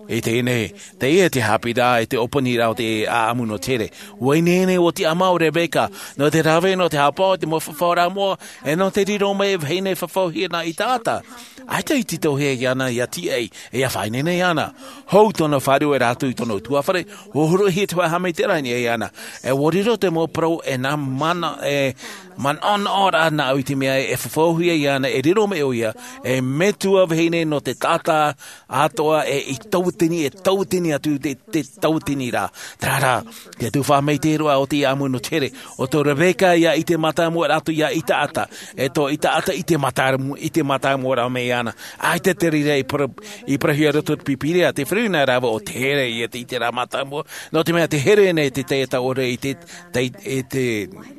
I teie nei, teie te haʻapiʻiraʻa i te ʻōpani ra o te ʻāʻamu nō te here. ʻUa ineine, ʻua tiʻamā ʻo Rebeka, nō te rave, nō te haʻapaʻo i te mau fafauraʻa moʻa, e nō te riro mai e vahine fafauhia nā Isaaka. ʻAita i tītauhia iāna ʻia tīaʻi, e ʻia faʻaineine iāna. Hou tōna fāriʻi e rātou i tōna ʻutuāfare, ʻua hōroʻahia te hōʻē haʻamaitaʻiraʻa i niʻa iāna. E ʻua riro te mau parau e nā mana, e manaʻonaʻoraʻa nāʻu i te mea e fafauhia iāna, e riro mai ʻoia, e metua vahine nō te taʻata atoʻa, e i tauatini, e tauatini atu te, te tauatini ra. Terā rā, te tuhaʻa maitaʻi roa o te ʻāʻamu nō te here, ʻo tō Rebeka ia i te mātāmuaraʻa atu ia Isaaka, e tō Isaaka i te mātāmu-, i te mātāmuaraʻa mai iāna. ʻAita te reira i para-, i parauhia roto i te Pīpīria, te fare nā rāveʻa o te here, ʻia ʻite i terā mātāmua, nō te mea te here nei te taiata ʻore i te, tei-, e te,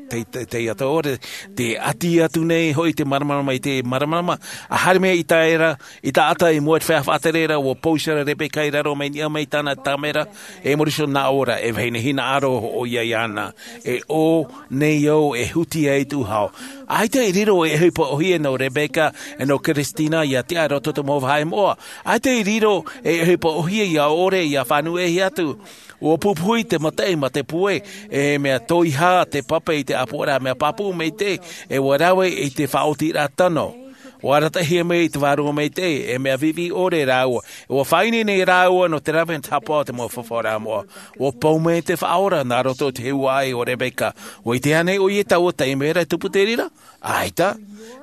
te, te, taiata ʻore, tē ʻati atu nei hoʻi te māramarama i te māramarama, ʻa haere mai Isaaka, Isaaka i mua i te feiā faʻatere ra, ʻua pausia ra Rebeka i raro mai niʻa mai tāna tāmera, e muri iho nā ʻō ra, e vahine hinaʻaro ʻoia iāna, e ʻō nei au e huti ai tū hau. ʻAita i riro e ʻohipa ʻōhie nō Rebeka, e nō Christina ʻia tiʻa i roto i te mau vāhi moʻa. ʻAita i riro e ʻohipa ʻōhie ʻia ʻore, ʻia fānuʻehia atu. ʻUa pupuhi te mataʻi mā te pue, e mea toiha te pape i te ʻāpoʻoraʻa, mea pāpū maitaʻi, e ʻua rave i te faʻaotiraʻa tano. ʻUa arataʻihia mai i te Vārua Maitaʻi, e mea vivi ʻore rāua. ʻUa faʻaineine rāua nō te rave nō te haʻapaʻo i te mau fafauraʻa moʻa. ʻUa pau mai te Faʻaora nā roto i te huaʻai o Rebeka. ʻUa ʻite ānei ʻoia i taua taime ra i tupu te reira? ʻAita.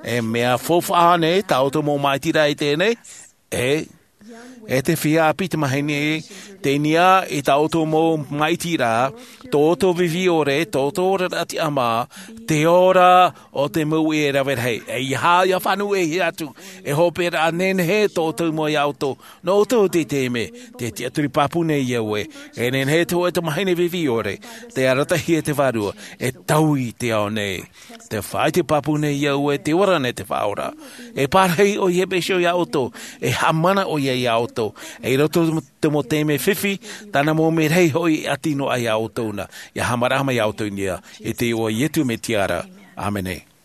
E mea faufaʻa ānei tā ʻoutou mau māʻitiraʻa i teie nei? E, e te feiā ʻāpī tamahine, tei niʻa i tā ʻoutou mau māʻitiraʻa, tō ʻoutou vivi ʻore, tō ʻoutou oraraʻa tiʻamā, te ora o te mau uʻi e rave rahi. E ʻeiaha ʻia fānuʻehia atu, e hope ra nehenehe tō ʻoutou mau iā ʻoutou, nō ʻoutou te taime, te tiʻaturi pāpū nei au ē, e nehenehe te hōʻē tamahine vivi ʻore, tē arataʻihia e te Vārua, e taui te ao nei. Tē faʻaʻite pāpū nei au ē, tē ora nei te Faʻaora. E pārahi ʻoia i te peu iā ʻoutou, e haʻamana ʻoia ia ʻoutou. E i roto i te mau taime fifi, tāna mau merahi hoʻi e ʻati noa ia ʻoutou na. Ia haʻamaraʻa mai ia ʻoutou i niʻa, i te iʻoa o Iesu Mesia ra. ʻĀmene.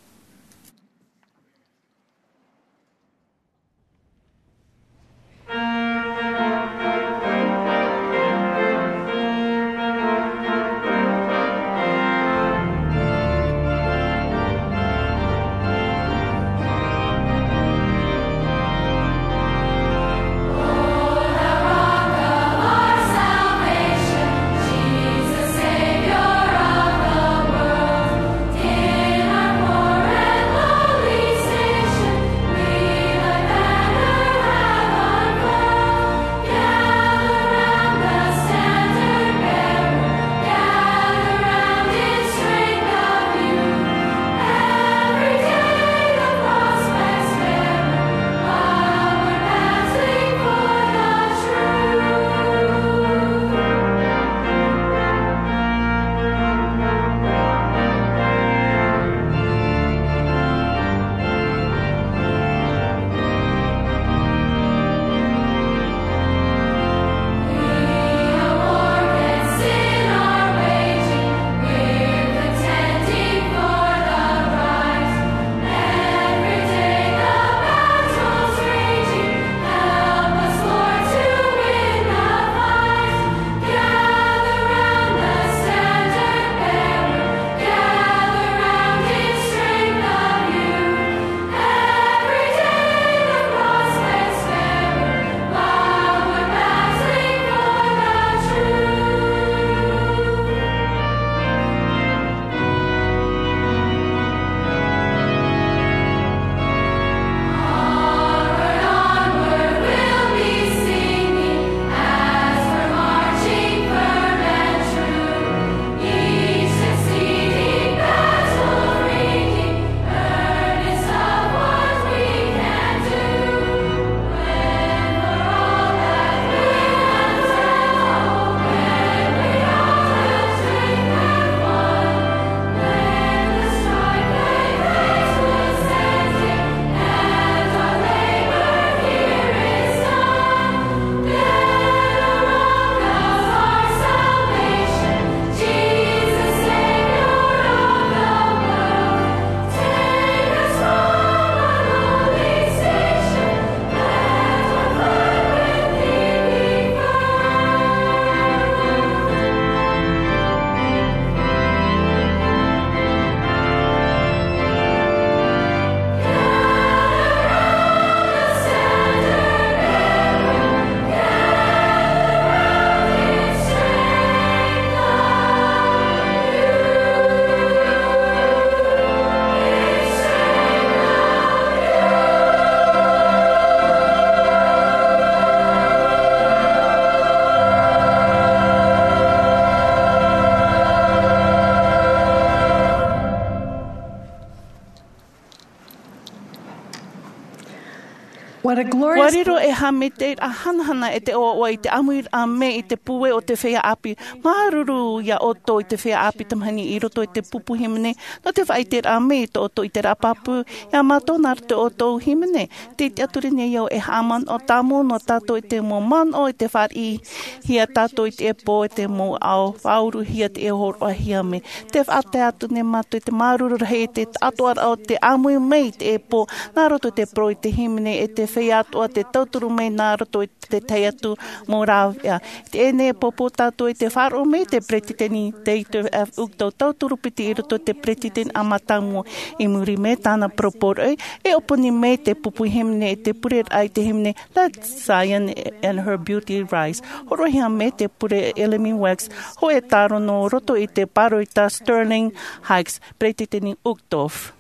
What a glorious... Ua riro e Hāmani te hanahana e te ʻoaʻoa i te ʻāmuiraʻa mai i te pūai o te feiā ʻāpī. Māuruuru ia ʻoutou i te feiā ʻāpī tamahine i roto i te pupu hīmene, nō te faʻaʻiteraʻa mai i tō ʻoutou ʻiteraʻa pāpū, ia mātou nā roto i tō ʻoutou hīmene. Tē ʻite atu ra nei au e haʻamanaʻo tāmau noa tātou i te mau manaʻo i te fāriʻihia tātou i teie pō, i te mau ao faʻauruhia, teie hōroʻahia mai. Tē faʻatae atu nei mātou i te māuruuru rahi i te taʻatoʻaraʻa o te ʻāmui mai i teie pō, nā roto i te parau i te hīmene, e te feiā atoʻa tē tauturu mai nā roto i te tahi atu mau rāveʻa. Teie nei e pōpō tātou i te faʻaroʻo mai i te peretiteni Dieter F. Uchtdorf, tauturu piti i roto i te peretiteni ʻāmui tāmau. I muri mai tāna parau poroʻi, e ʻōpani mai te pupu hīmene i te pureraʻa i te hīmene Let Zion and Her Beauty Rise. Hōroʻahia mai te pure Ellen Wax, hōʻē tāro nō roto i te pāroita Sterling Hicks, peretiteni Uchtdorf.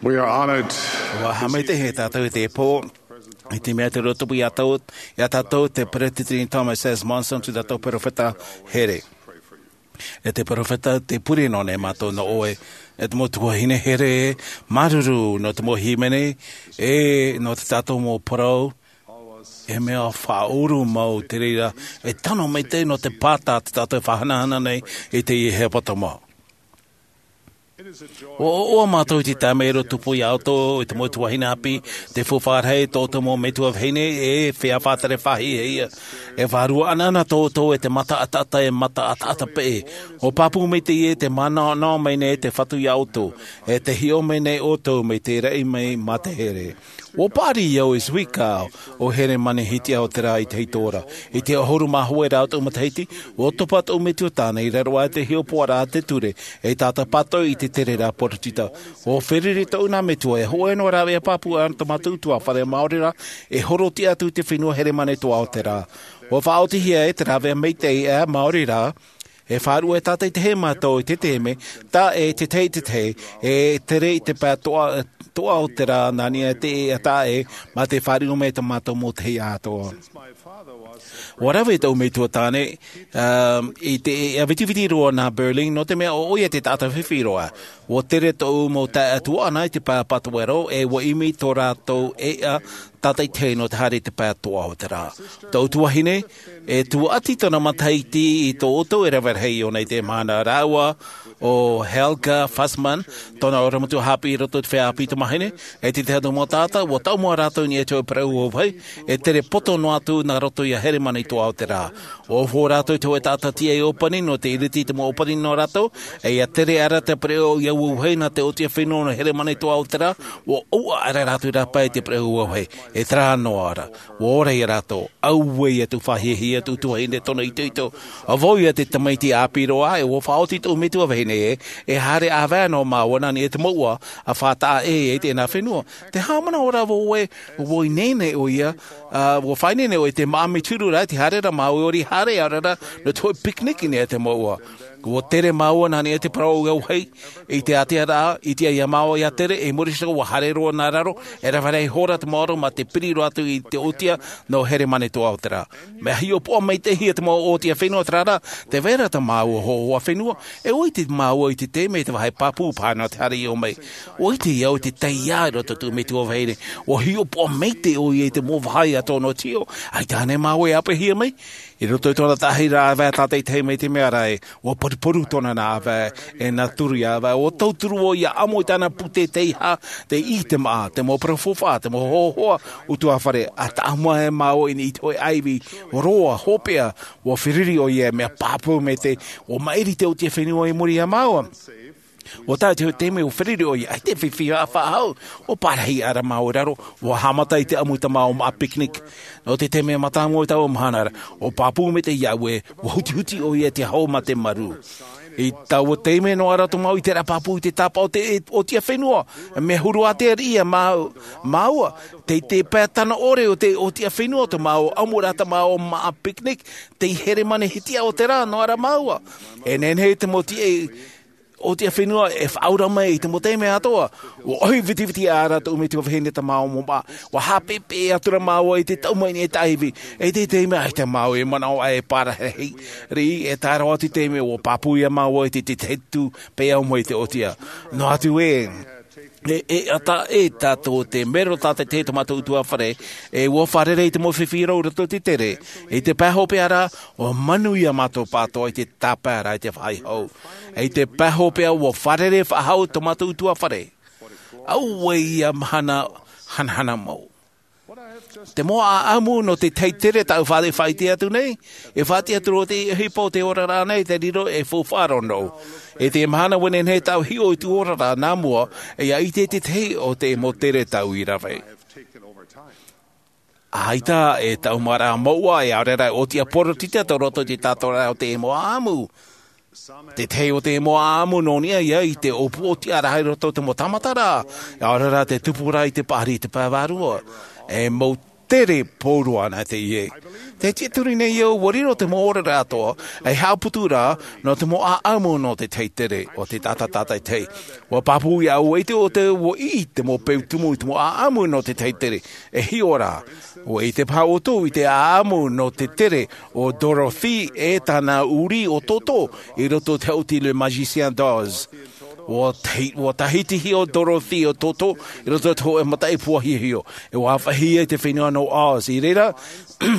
We are honored. ʻUa haʻamaitaʻi tātou i teie pō, i te mea tē riro atu ia tātou, ia tātou te peretiteni Thomas S. Monson, tō tātou perofeta here. E te perofeta, tē pure noa nei mātou nō ʻoe, e te mau tuahine here, māuruuru nō te mau hīmene, e nō tā tātou mau parau, e mea faʻaʻuru mau te reira, e tano maitaʻi nō te pāta tā tātou e faʻahanahana nei i teie hepetoma. Ua ʻoaʻoa mātou i te taime e riro tupu iā ʻoutou i te mau tuahine ʻāpī, te faufaʻa rahi tō ʻoutou mau metua vahine, e feiā faʻatere faʻahiahia. E vārua ʻanaʻana tō ʻoutou e te mata ʻataʻata, e mata ʻataʻata peʻe. Ua pāpū maitaʻi ē tē manaʻo mai nei te Fatu iā ʻoutou, e tē hiʻo mai nei ʻoutou mai te raʻi mai mā te here. Ua paʻari au i Zwickau, ʻo Heremane Hitia o te rā i te hītora. I te ʻahuru mā hoʻi rā o tōʻu matahiti, ua topa tōʻu metua tāne i raro aʻe i te hiʻopoʻaraʻa a te ture, e tātā pātoʻi i te tere rā poritita. Ua feruri tōʻu nā metua e hōʻē noa rāveʻa pāpū ʻana tō mātou ʻutuāfare maori rā, e horoʻa atu i te fenua Heremane Toa o te rā. Ua faʻaotihia e te rāveʻa maitaʻi ʻā maori rā, e faʻaruʻe tātaʻitahi mātou i te taime, taʻe te tahi te tahi, e tere i te pae toʻa, toʻa o te rā nā niʻa i te ʻēʻa taʻe, mā te faʻaruʻe mai tō mātou mau tahi atoʻa. Ua rave tōʻu metua tāne, um, i te ʻēʻa vitiviti roa nā Berlin, nō te mea ʻo ʻoia te taʻata fifi roa. Ua tere tōʻu mau taeaʻe tuaʻana i te pae pātoʻero, e ua ʻimi tō rātou ʻēʻa tātaʻitahi nō te haere i te pae toʻa o te rā. Tōʻu tuahine, e tuaʻati tōna matahiti i tō ʻoutou e rave rahi iho nei i teie mahana, rāua ʻo Helga Fassmann, tōna ʻorometua haʻapiʻi i roto i te feiā ʻāpī tamāhine, e te tahi atu mau taʻata, ua taʻamu ā rātou i niʻa i te hōʻē parau auahi, e tere poto noa atu nā roto iā Heremane Toa o te rā. Ua ʻō rātou i te hōʻē taʻata tīaʻi ʻōpani nō te ʻīriti i te mau ʻōpani nō rātou, e ʻia tere aʻera te parau auahi nā te ʻōtiʻa fenua nō Heremane Toa o te rā, ua ʻōʻa aʻera rātou i rāpae i te parau auahi, e terā noa ra. Ua ora ia rātou, auē ia tōʻu faʻahiahia, tōʻu tuahine, tōna itoito. ʻA vau ia te tamaiti ʻāpī roa, e ua faʻaoti tōʻu metua vahine ē, e haere ʻāvae noa māua nā niʻa i te mouʻa, ʻa faʻataʻa ʻē i teie nei fenua. Tē haʻamanaʻo ra vau ē, ua ineine ʻoia, ā, ua faʻaineine ʻoia i te māʻa mai te huru ra, tē haere ra māua, ʻaore i haere aʻera nō te hōʻē picnic i niʻa i te mouʻa. Ua tere māua nā niʻa i te parau auahi, i te ātea ra, i te ʻāiʻa māua ʻia tere, i muri iho ua haere roa nā raro, e rave rahi ihora te maoro mā te piri roa atu i te ʻōtiʻa nō Heremane Toa o te rā. Mea hiʻopoʻa maitaʻi hia te mau ʻōtiʻa fenua terā rā, tē vai ra tā māua hōhoʻa fenua, e ʻua ʻite māua i te taime i te vāhi pāpū paha nō te haere iho mai. ʻUa ʻite au i te taiā i roto i tōʻu metua vahine, ʻua hiʻopoʻa maitaʻi ʻoia i te mau vāhi atoʻa nō te hiʻo, ʻaita ānei māua e ʻāpeʻehia mai? I roto i tōna tahi rāveʻa tātaʻitahi mai te mea ra ē, ʻua poruporu tōna nā ʻāvae, e nā turu ia ʻāvae, ʻua tauturu ʻoia ʻia ʻamo i tāna pūtē teiaha, te ʻī, te māʻa, te mau parau faufaʻa, te mau hōhoʻa ʻutuāfare, ʻa taʻamu ā māua i niʻa i te hōʻē ʻāivi roa, hopeʻa, ʻua feruri ʻoia, mea pāpū maitaʻi, ʻua maʻiri te ʻōtiʻa fenua i muri iā māua. ʻUa tae te hōʻē taime ʻua feruri ʻoia, ʻaita e fifi faʻahou, ʻua pārahi aʻera māua i raro, ʻua haʻamata i te ʻamu i tā māua māʻa picnic. Nō te taime mātāmua i taua mahana ra, ʻua pāpū maitaʻi iāʻu ē, ʻua hutihuti ʻoia i te hau mā te marū. I taua taime noa ra tō māua ʻiteraʻa pāpū i te tāpaʻo o te ʻōtiʻa fenua, mea huru ātea riʻi ia māua, māua, tei te pae tano ʻore o te ʻōtiʻa fenua tō māua ʻamuraʻa, tā māua māʻa picnic, tei Heremane Hitia o te rā noa ra māua. E nehenehe te mau tīaʻi ʻōtiʻa fenua e faʻaora mai i te mau taime atoʻa. ʻUa ʻohi vitiviti aʻera tōʻu metua vahine i tā māua mau māʻa. ʻUa haʻapeʻepeʻe atu ra māua i te taʻu mai nei i te ʻāivi. E te taime ʻaita māua e manaʻo ʻā e pārahi riʻi, e tae roa atu i te taime ʻua pāpū ia māua i te, te, te tū, pea au mai te ʻōtiʻa. Noa atu ē, e, e ʻata ē tātou te mero tātaʻitahi tō mātou ʻutuāfare, e ʻua fārerei i te mau fifi rau i roto i te tere. I te pae hopeʻa ra, ʻua manuia mātou pātoʻa i te tāpaeraʻa i te vāhi hou. I te pae hopeʻa ʻua fārerei faʻahou tō mātou ʻutuāfare. Auē ia mahana hanahana mau. Te mau ʻāʻamu nō te tahi tere tāʻu faʻa-, faʻaʻite atu nei, e faʻaʻite atu roa te ʻohipa o te oraraʻa nei, te riro e faufaʻa roa noʻu. I te mahana ʻua nehenehe tāʻu hiʻo i tōʻu oraraʻa nā mua, e ʻia ʻite i te tahi o te mau tere tāʻu i rave. ʻAita e taʻu maraʻa mouʻa, e ʻaore rā e ʻōtiʻa poritita tō roto i te tātaraʻa o te mau ʻāʻamu. Te tahi o te mau ʻāʻamu nō niʻa ia i te ʻōpū ʻōtiʻa rahi i roto i te mau tāmataraʻa, e ʻaore rā te tupu ra i te paʻari i te pae vārua. E mau tere pauroa ana teie. Tē tiʻaturi nei au, ʻua riro te mau oraraʻa atoʻa, ei haʻaputu ra, nō te mau ʻāʻamu nō te tahi tere, ʻo te taʻata tātaʻitahi. ʻUa pāpū iāʻu e ʻite ʻoutou, ʻua ʻī te mau peu tumu i te mau ʻāʻamu nō te tahi tere. E hiʻo rā, ʻua ʻite paha ʻoutou i te ʻāʻamu nō te tere ʻo Dorothy e tāna uri ʻo Toto i roto i te haʻuti Le Magicien d'Oz. Ua tahi-, ua tahiti hia ʻo Dorothy ʻo Toto i roto i te hōʻē mataʻi puahiahio. E ua ʻāfaʻi ia i te fenua nō Oz. I reira,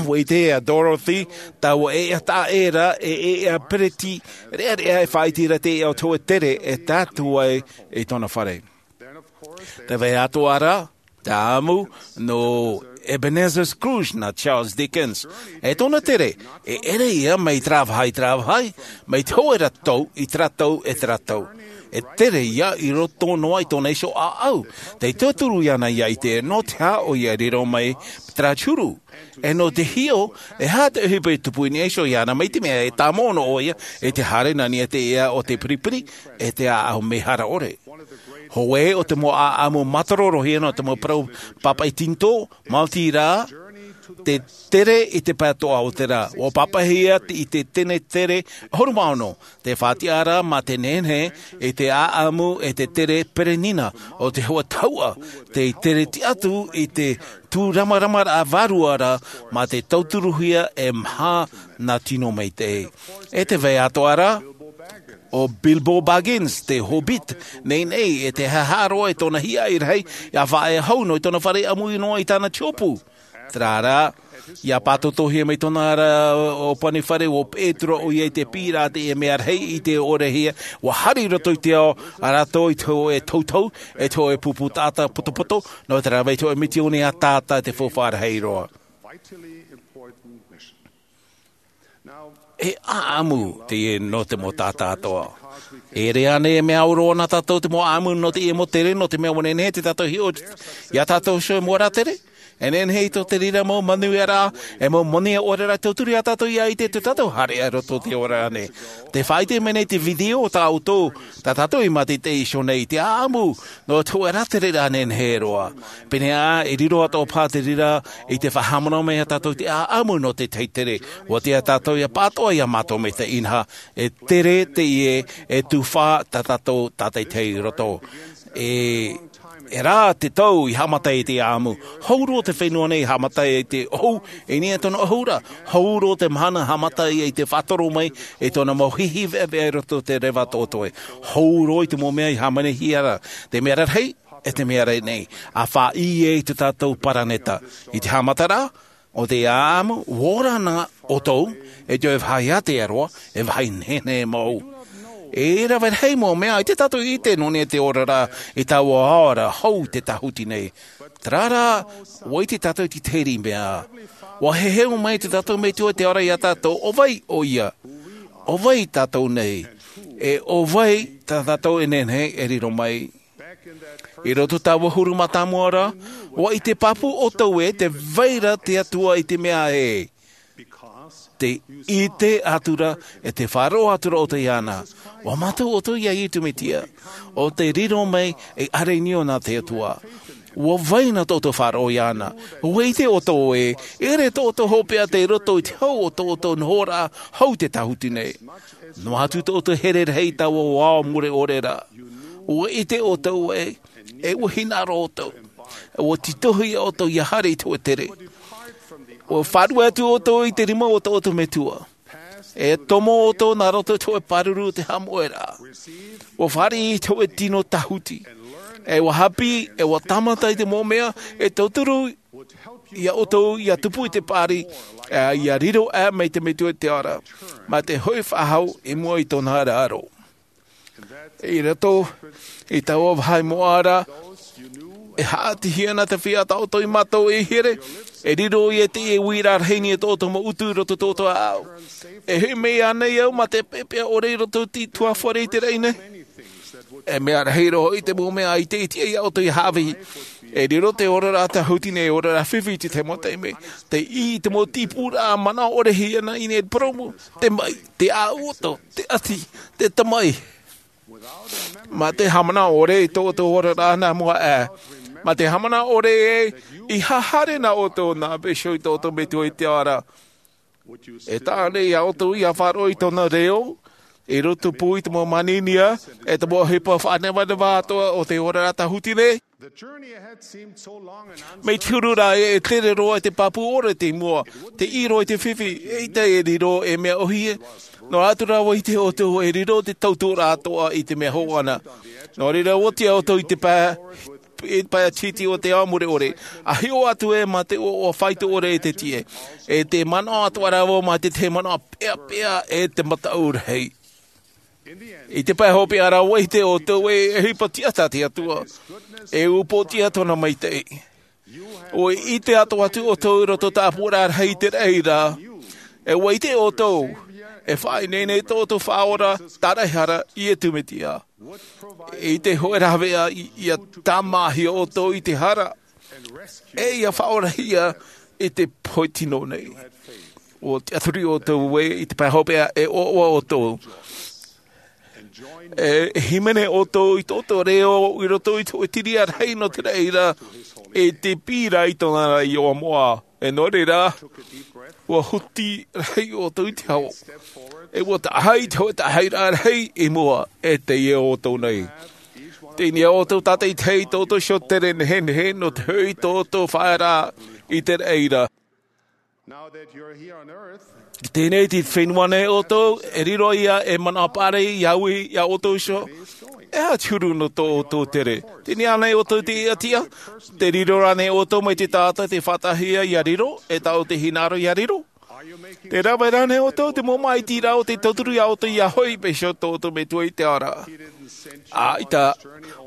ua ʻite ʻo Dorothy, taua ʻēʻa taʻa ʻē ra, e ʻēʻa pereti, reʻareʻa e faʻaʻite ra te ʻēʻa o te hōʻē tere e tātū ai i tōna fare. Tē vai atoʻa ra, te ʻāʻamu nō Ebenezer Scrooge nā Charles Dickens. E tōna tere, e ʻere ia mai terā vāhi i terā vāhi, mai te hōʻē ra tau i terā tau e terā tau. E tere ia i roto noa i tōna iho ʻāʻau. Tē tauturu iāna ʻia ʻite nō te aha ʻoia e riro mai terā huru. E nō te hiʻo, e aha te ʻohipa e tupu i niʻa iho iāna, mai te mea e tāmau noa ʻoia i te haere nā niʻa i te ʻēʻa o te piripiri, e te ʻāʻau mehara ʻore. Hōʻē o te mau ʻāʻamu mātārōhia nō te mau parau pāpaʻi tīnitō, maoti rā, te tere i te pae atoʻa o te rā. Ua pāpaʻihia i te tenetere ʻahuru mā ono, te faʻatiʻaraʻa mā te nehenehe i te ʻāʻamu e te tere perenina o te hōʻē tahuʻa, tei tere tiʻa atu i te tūramaramaraʻa vārua ra mā te tauturuhia e maha nā tino maitaʻi. E tē vai atoʻa ra, ʻo Bilbo Baggins, te Hobbit, nei nei, e te haʻaroa i tōna hiaʻai rahi, ʻia faʻaea hau noa i tōna fare ʻāmui noa i tāna tiʻopu. Terā rā, ʻia pātotohia mai tōna ra ʻōpani fare, ua peʻe atu ra ʻoia i te piʻiraʻa i te mea rahi i te ʻōrehia, ua haere i roto i te ao, a rātou i te hōʻē tautau, e te hōʻē pupu taʻata potopoto, nō terā vai te hōʻē mitioni ʻataʻata te faufaʻa rahi roa. E ʻāʻamu teie nō te mau taʻata atoʻa. E ʻere ānei e mea au roa nā tātou te mau ʻāʻamu nō teie mau tere, nō te mea ua nehenehe te tātou hiʻo iā tātou iho e mau ra tere? E nehenehe i tō te reira mau manuiaraʻa, e mau moni ʻore ra tauturu iā tātou ʻia ʻite tō tātou haereʻa i roto i te ora nei. Tē faʻaʻite mai nei te video tā ʻoutou, tā tātou i mātaʻitaʻi iho nei i te ʻāʻamu, nō te hōʻē ra tere ra nehenehe roa. Pēneiaʻe, e riro atoʻa paha te reira i te faʻahaʻamanaʻo mai iā tātou i te ʻāʻamu nō te tahi tere. ʻUa tiʻa tātou ʻia pāʻatoʻa iā mātou maitaʻi inaha, e tere teie e tufa tā tātou tātaʻitahi i roto. E, e rā te tau i haʻamata ai te ʻāʻamu. Hau roa te fenua nei i haʻamata ai te ʻohu, i niʻa i tōna ʻohu ra. Hau roa te mahana haʻamata ai te faʻatoro mai i tōna mau hihi veʻaveʻa i roto i te reva toʻotoʻe. Hau roa i te mau mea i hāmanihia ra. Te mea rahi, e te mea rahi nei, ʻa faʻaʻī ai tō tātou paraneta. I te haʻamataraʻa, ʻo te ʻāʻamu, ʻua ora na ʻoutou, e te vāhi ātea roa, e vāhi nehenehe mau. E rave rahi mau mea, ʻaita tātou i ʻite nō niʻa i te oraraʻa, i taua ao ra, hau te tāhuti nei. Terā rā, ʻua ʻite tātou i te tahi mea. ʻUa heheu mai tō tātou Metua i te ao ra iā tātou, ʻo vai ʻoia? ʻO vai tātou nei? E ʻo vai tā tātou e nehenehe e riro mai? I roto i taua huru mātāmua ra, ʻua ʻite pāpū ʻoutou ē, tē vai ra te Atua i te mea ē. Tē ʻite atu ra, e tē faʻaroʻo atu ra ʻoutou iāna. ʻUa mātau ʻoutou iā Iesu Mesia, ʻo tē riro mai ei ʻāreʻa nō te Atua. ʻUa vai na tō ʻoutou faʻaroʻo iāna. ʻUa ʻite ʻoutou ē, e ʻere tō ʻoutou hopeʻa tei roto i te hau o tō ʻoutou nohoraʻa hau te tāhuti nei. Noa atu tō ʻoutou here rahi i taua ao mure ʻore ra. ʻUa ʻite ʻoutou ē, e ʻua hinaʻaro ʻoutou. ʻUa tītauhia ʻoutou ʻia haere i te hōʻē tere. ʻUa fārerei atu ʻoutou i te rima o tō ʻoutou Metua. E tomo ʻoutou nā roto i te hōʻē pāruru o te haʻamoʻe ra. ʻUa fāriʻi i te hōʻē tino tāhuti. E ʻua haʻapiʻi, e ʻua tāmata i te mau mea, e tauturu iā ʻoutou, ʻia tupu i te paʻari, ʻe ʻia riro aʻe mai te Metua i te ao ra. Mā te hoʻi faʻahou i mua i tōna ra aro. I roto i taua vāhi moʻa ra, e haʻatihia na te feiā tā ʻoutou i mātau e here, e riro ia i te uiraʻa rahi nā tō ʻoutou mau utu i roto i tō ʻoutou ʻāʻau. E hoʻi mai ānei au mā te peʻapeʻa ʻore i roto i te tuhaʻa fare i te raʻi nei? E mea rahi roa i te mau mea ʻaita e tiʻa iā ʻoutou ʻia haʻavī. E riro te oraraʻa tāhuti nei, oraraʻa fifi i te mau taime. Tei ʻī i te mau tīpūraʻa manaʻo ʻore hia na i nei poromu. Te maʻi, te ʻāʻau ʻoto, te ʻati, te tamaʻi. Mā te haʻamanaʻo ʻore i tō ʻoutou oraraʻa nā mua aʻe. Mā te haʻamanaʻo ʻore ē, ʻia haere na ʻoutou nā Iēsu i tō ʻoutou Metua i te ao ra. E taʻa ānei iā ʻoutou ʻia faʻaroʻo i tōna reo, i roto pū i te mau māninia, e te mau ʻohipa faʻanevaneva atoʻa o te oraraʻa tāhuti nei? Mea huru rā e tere roa i te pāpū ʻore i mua, te ʻiro i te fifi, eʻita e riro e mea ʻohie. Noa atu rā ʻua ʻite ʻoutou e riro te tauturu atoʻa i te mea hōʻana. Nō reira ʻua oti ʻoutou i te pae, i te pae tītī o te ao mure ʻore, ʻa hiʻo atu ē mā te ʻoaʻoa faito ʻore i te tiʻe, e te manaʻo atoʻa rā vau mā te tahi manaʻo peʻapeʻa e te mataʻu rahi. I te pae hopeʻa rā ʻua ʻite ʻoutou e ʻohipa tiʻa tā te Atua, e upoʻotiʻa tōna maitaʻi. ʻUa ʻite atoʻa atu ʻoutou i roto tāpura rahi i te reira, e ʻua ʻite ʻoutou e faʻaineine tō ʻoutou Faʻaora tāraʻehara, Iesu Mesia, i te hōʻē rāveʻa i, ʻia tāmāhia ʻoutou i te hara, e ʻia faʻaorahia i te pohe tino nei. ʻUa tiʻaturi ʻoutou ē i te pae hopeʻa e ʻoaʻoa ʻoutou. E, e hīmene ʻoutou i tō ʻoutou reo i roto i te hōʻē tiria rahi nō te reira, e te pīra i tōna ra iʻoa moʻa. E nō reira, ʻua huti rahi ʻoutou i te ao. E ʻua taʻahi i te hōʻē taʻahiraʻa rahi i mua, e teie ʻoutou nei. Teie nei ʻoutou tātaʻitahi i tō ʻoutou iho tere nehenehe nō te hoʻi i tō ʻoutou faʻaearaʻa i te reira. I teie nei te fenua nei ʻoutou, e riro ia e manaʻo paʻari ia ui ia ʻoutou iho. E aha te huru nō tō ʻoutou tere? Teie nei ānei ʻoutou i te tiʻatiʻa? Te riro rānei ʻoutou mai te taʻata tei faʻataʻahia ia riro, e taʻu te hinaʻaro ia riro? Te rave rānei ʻoutou te mau māʻitiraʻa o te tauturu ia ʻoutou ia hoʻi paʻi iho tō ʻoutou Metua i te ao ra? ʻAita,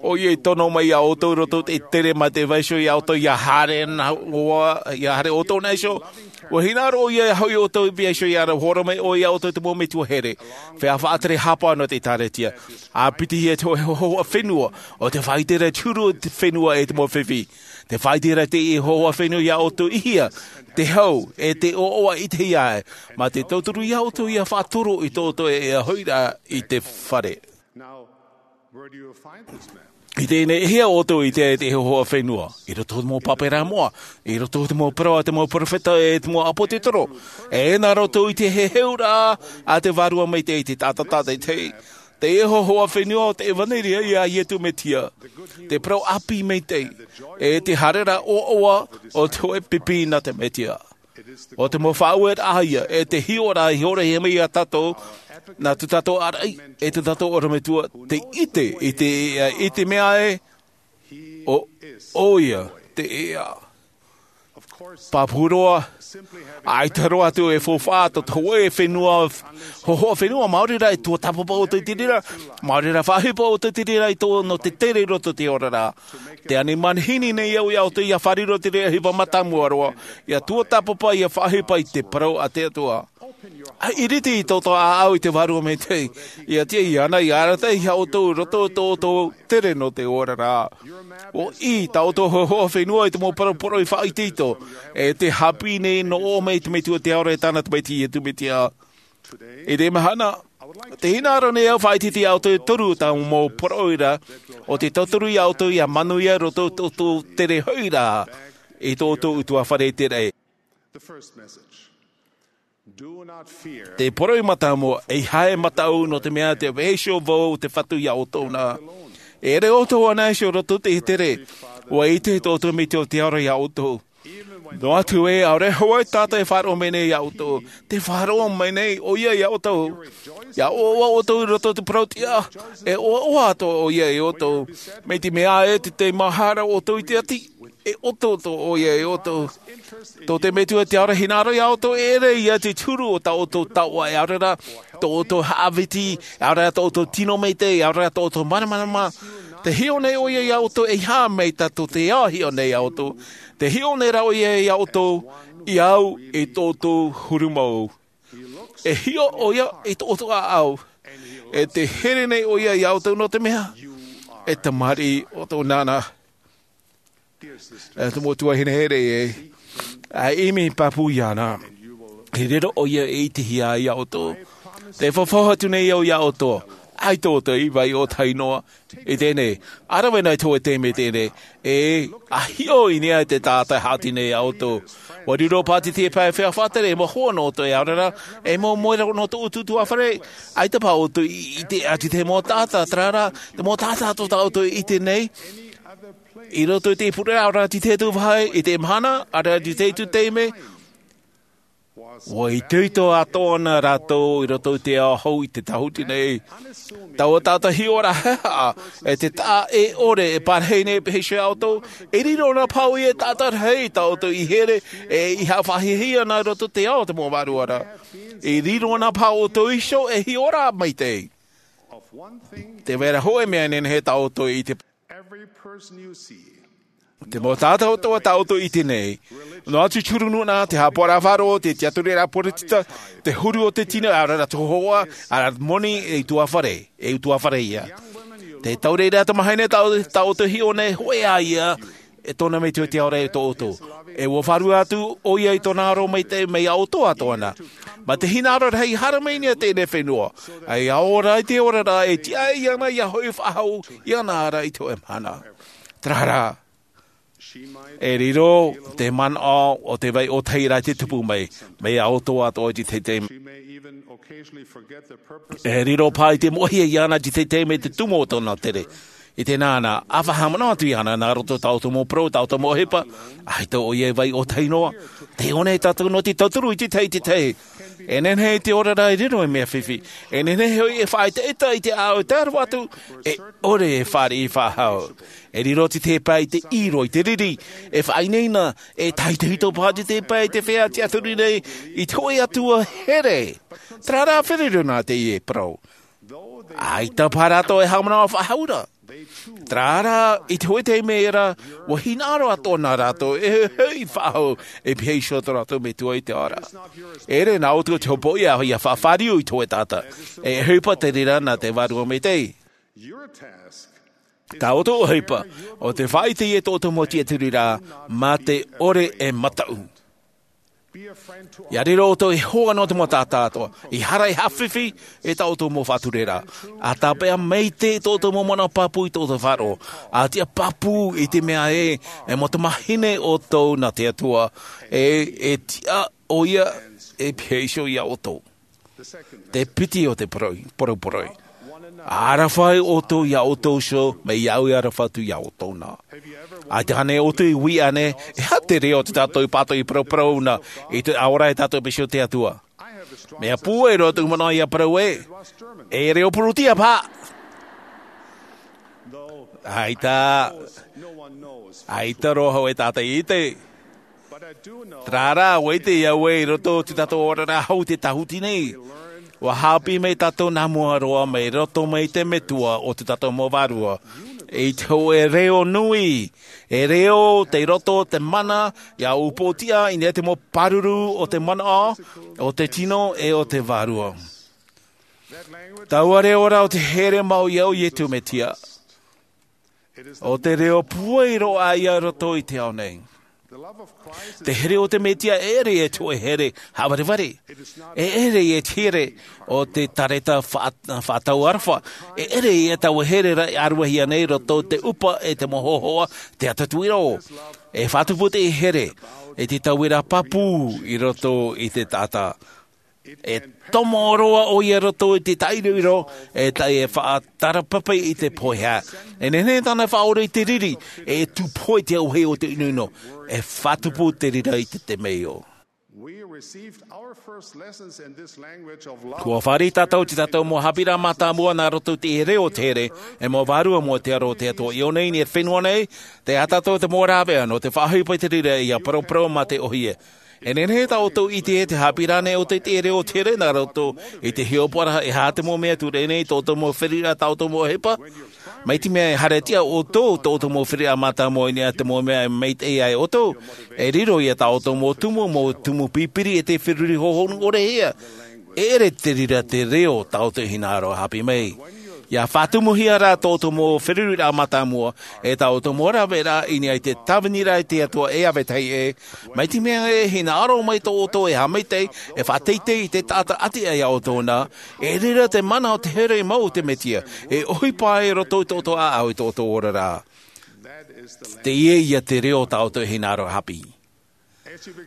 ʻoia i tono mai ia ʻoutou i roto i te tere mā te vaiiho ia ʻoutou ia haere noa, ia haere ʻoutou nā iho. ʻUa hinaʻaro ʻoia ia hoʻi ʻoutou i paʻi iho ia rave hōroʻa mai ʻoia ia ʻoutou te mau metua here. Feiā faʻatere hapa nō te ʻĒkālesia. ʻA piti ia te hō-, hōhoʻa fenua, ʻo te faʻaʻite ra te huru o te fenua e te mau fifi. Te faʻaʻite ra te hōhoʻa fenua ia ʻoutou i hea, te hau, e te ʻoaʻoa i te hea, mā te tauturu ia ʻoutou ia faʻatoro i tō ʻoutou e, e hoʻi rā i te fare. I teie nei, e hea ʻoutou i te, te hōhoʻa fenua? I roto i te mau pāpā moʻa, i roto i te mau parau a te mau perofeta, e te mau ʻāpōsetolo. E nā roto i te heheuraʻa a te Vārua Maitaʻi i te taʻata tātaʻitahi. Te hōhoʻa fenua o te ʻevanelia ia Iesu Mesia. Te parau ʻāpī maitaʻi, e te haereraʻa ʻoaʻoa o te hōʻē pipi nā te Mesia. ʻO te mau faʻaueraʻa ia, e te hiʻoraʻa i ʻōroʻa mai ia tātou, nā tō tātou ʻāraʻi, e tō tātou ʻorometua, te ʻite, i te, i te mea ē, ʻo, ʻoia, te ea. Pāpū roa, ʻaita roa atu e faufaʻa tō te hōʻē fenua, hōhoʻa fenua, maori rā e tuatāpapa ʻoutou i te reira, maori rā faʻaʻohipa ʻoutou i te reira i tō, nō te tere i roto i te oraraʻa. Tē ani manihini nei au ia ʻoutou ia fārerei i te reira ʻohipa mātāmua roa, ia tuatāpapa, ia faʻaʻohipa i te parau a te Atua. ʻA ʻiriti i tō ʻoutou ʻāʻau i te Vārua Maitaʻi, ia tiʻa iāna, ia arataʻi ia ʻoutou i roto i tō ʻoutou tere nō te oraraʻa. ʻUa ʻī tā ʻoutou hōhoʻa fenua i te mau parau poroʻi faʻaitoito, e tē haʻapiʻi nei nō ʻō mai te Metua i te ao ra e tāna Tamaiti Iesu Mesia. I teie mahana, tē hinaʻaro nei au e faʻaʻiteʻite ia ʻoutou e toru o tāʻu mau poroʻi ra, ʻo te tauturu ia ʻoutou ia manuia i roto i tō ʻoutou tere hoʻi ra, i tō ʻoutou ʻutuāfare i te raʻi. Te poroʻi mātāmua, ʻeiaha e mataʻu nō te mea tē vaiiho vau te Fatu ia ʻoutou na. E ʻere ʻoutou anaʻe iho i roto i te tere, ʻua ʻite tō ʻoutou Metua i te ao ra ia ʻoutou. Noa atu ē, ʻaore hoʻi tātou e faʻaroʻo mai nei ia ʻoutou, tē faʻaroʻo mai nei ʻoia ia ʻoutou. ʻIa ʻoaʻoa ʻoutou i roto i te parau tiʻa, e ʻoaʻoa atoʻa ʻoia ia ʻoutou. Mai te mea ē, tē maha ra ʻoutou i te ati, e ʻoto atoʻa ʻoia ia ʻoutou. Tō te Metua i te ao ra e hinaʻaro ia ʻoutou, e ʻere ia te huru o tā ʻoutou taoʻa, ʻaore rā tō ʻoutou haʻaviti, ʻaore rā tō ʻoutou tino maitaʻi, ʻaore rā tō ʻoutou māramarama. Tē hiʻo nei ʻoia ia ʻoutou, ʻeiaha mai tā tō te ao e hiʻo nei ia ʻoutou. Tē hiʻo nei rā ʻoia ia ʻoutou, i au, i tō ʻoutou huru mau. E hiʻo ʻoia i tō ʻoutou ʻāʻau. E tē here nei ʻoia ia ʻoutou nō te mea, e tamariʻi ʻoutou nāna. E te mau tuahine here ē, ʻa ʻimi pāpū iāna. I reira ʻoia e ʻitehia ai ia ʻoutou. Tē fafau atu nei au ia ʻoutou. ʻAita ʻoutou i vaiiho tahi noa. I teie nei, ʻa rave nei te hōʻē taime i teie nei, e, ʻa hiʻo i niʻa i te taʻata e haʻati nei ia ʻoutou. ʻUa riro pātiti e pae feiā faʻatere, e mau hoa nō ʻoutou e ʻaore rā, e mau moe nō tō ʻoutou ʻutuāfare, ʻaita paha ʻoutou i, i ʻite atu i te mau taʻata, terā rā, te mau taʻata atoʻa tā ʻoutou e ʻite nei. I roto i te pureraʻa ʻo rā i te ʻetu vāhi, i te mahana, ʻaore rā i te ʻetu taime, ʻua itoito atoʻa na rātou i roto i te ao hou i te tāhuti nei. Taua taʻata hiʻoraʻa haʻehaʻa, e te taʻa e ʻore e parahi nei e pēhea iā ʻoutou, e riro na paʻi e taʻata rahi tā ʻoutou i here, e i haʻafaʻahiahia na i roto i te ao o te mau vārua ra. E riro na paʻi ʻoutou iho e hiʻoraʻa maitaʻi. Te vai ra hōʻē mea e nehenehe tā ʻoutou i te Te mau taʻata atoʻa tā ʻoutou i ʻite nei. Noa atu te huru nūnaʻa, te haʻapaʻoraʻa faʻaroʻo, te tiʻaturiraʻa poritita, te huru o te tino, ʻaore rā te hōhoʻa, ʻaore rā te moni, e utuafare, e utuafare ia. Te taureʻareʻa tamāhine tā, tā ʻoutou hiʻo nei, hōʻē ā ia, e tōna metua i te ao ra e tō ʻoutou. E ʻua vārua atu ʻoia i tōna aro maitaʻi mai iā ʻoutou atoʻa na. Mā te hinaʻaro rahi haere mai nei i teie fenua. ʻA ia ora i te oraraʻa e tiʻa iāna ʻia hoʻi faʻahou iāna ra i te hōʻē mahana. Terā rā, e riro te manaʻo o te vai ʻōtahi ra te tupu mai, mai iā ʻoutou atoʻa i te teitei. E riro paʻi te moʻehia iāna i te teitei mai te tumu o tōna tere. I te nānā, ʻa faʻahaʻamanaʻo atu iāna, nā roto tā ʻoutou mau parau, tā ʻoutou mau ʻohipa, ʻaita ʻoia e vai ʻōtahi noa. Tē ʻō nei tātou nō te tauturu i te tahi, i te tahi. E nehenehe te oraraʻa e riro ei mea fifi. E nehenehe hoʻi e faʻaʻetaʻeta i te ʻāʻau e tae roa atu, e ʻore e fāriʻi faʻahou. E riro te tepa i te ʻiro, i te riri, e faʻaineine, e tahitohito paʻi te tepa i te feiā tiʻaturi nei, i te hōʻē atua here. Terā rā feruri nā teie parau. ʻAita paʻi rātou e haʻamanaʻo faʻahou ra. Terā rā, i te hōʻē taime ra, ʻua hinaʻaro atoʻa na rātou, e hoʻi faʻahou, e pēhea iho tō rātou metua i te ao ra. E ʻere nā ʻoutou te hopoiʻa, ʻia faʻafāriu i te hōʻē taʻata. E ʻohipa te reira nā te Vārua Maitaʻi. Tā ʻoutou ʻohipa, ʻo te faʻaʻite i tō ʻoutou mau tiʻaturiraʻa, mā te ʻore e mataʻu. ʻIa riro ʻoutou ei hoa nō te mau taʻata atoʻa, ʻia haere ʻia haʻafifi i tā ʻoutou mau faʻatureraʻa. ʻA tāpeʻa maitaʻi tō ʻoutou mau manaʻo pāpū i tō ʻoutou faʻaroʻo. ʻA tiʻa pāpū i te mea ē, e mau tamāhine ʻoutou nā te Atua, e, e tiʻa ʻoia, e pēhea iho iā ʻoutou. Te piti o te poroi, poroporoi. ʻA aroha ʻoutou iā ʻoutou iho, mai iāʻu e aroha atu iā ʻoutou na. ʻAita ānei ʻoutou i uiui ānei, e aha te reo o tā tātou pātoʻi paraparau na, i te ora e tātou pēhea iho te Atua. Mea pūai roa tōʻu manaʻo ʻia parau ē, e reo Pūrūtia paʻi. ʻAita, ʻaita roa hōʻē taʻata i ʻite. Terā rā, ʻua ʻite au ē i roto i tō tātou oraraʻa hou i te tāhuti nei. ʻUa haʻapiʻi mai tātou nā mua roa mai roto mai i te Metua o tō tātou mau vārua. I te hōʻē reo nui, e reo tei roto i te mana, ʻia upoʻotiʻa i niʻa i te mau pāruru o te manaʻo, o te tino, e o te vārua. Taua reo ra ʻo te here mau iā Iesu Mesia. ʻO te reo pūai roa ïa i roto i te ao nei. Te here o te Mesia e ʻere ïa te hōʻē here haʻavarevare. E ʻere ïa te here o te tareta faʻa-, faʻatau aroha. E ʻere ïa taua here ra e ʻāruahia nei i roto i te ʻupa e te mau hōhoʻa, te atatau ʻōrero. E faʻatupu te here, e te tauiraʻa pāpū i roto i te taʻata. E tomo roa ʻoia i roto i te taʻiroiro, e tae e faʻatarapape i te pohe. E nehenehe tāna e faʻaora i te riri, e tūpohe i te auahi o te ʻinoʻino, e faʻatupu te reira i te temeio. We received our first lessons in this language of love. ʻUa fāriʻi tātou i tō tātou mau haʻapiʻiraʻa mātāmua nā roto i te reo o te here, e mau vārua mau te aro o te Atua i ʻō nei, i te fenua nei, tē ʻite tātou te mau rāveʻa nō te faʻaʻohipa i te reira ʻia paraparau mā te ʻōhie. E nehenehe tā ʻoutou e ʻite ē, tē haʻapiʻi ra ānei ʻoutou i te reo o te here nā roto i te hiʻopoʻaraʻa, e aha te mau mea e tuʻu ra ānei i tō ʻoutou mau feruriraʻa, tā ʻoutou mau ʻohipa? Mai te mea e haerehia ʻoutou i tō ʻoutou mau feruriraʻa mātāmua i niʻa i te mau mea e maitaʻi ai ʻoutou, e riro ïa tā ʻoutou mau tumu, mau tumu pipiri e tē feruri hōhonu ʻore hia. E ʻere te reira te reo tā ʻoutou e hinaʻaro haʻapiʻi mai. ʻIa faʻatumuhia ra tō ʻoutou mau feruriraʻa mātāmua, e tā ʻoutou mau rāveʻa i niʻa i te tāviniraʻa a te Atua e ʻāvae tahi ē, mai te mea e hinaʻaro mai tō ʻoutou e haʻamaitaʻi, e faʻateitei i te taʻata ʻati aʻe iā ʻoutou na, e riro te mana o te here mau o te Mesia, e ʻohipa i roto i tō ʻoutou ʻāʻau i tō ʻoutou oraraʻa. Teie ïa te reo tā ʻoutou e hinaʻaro haʻapiʻi.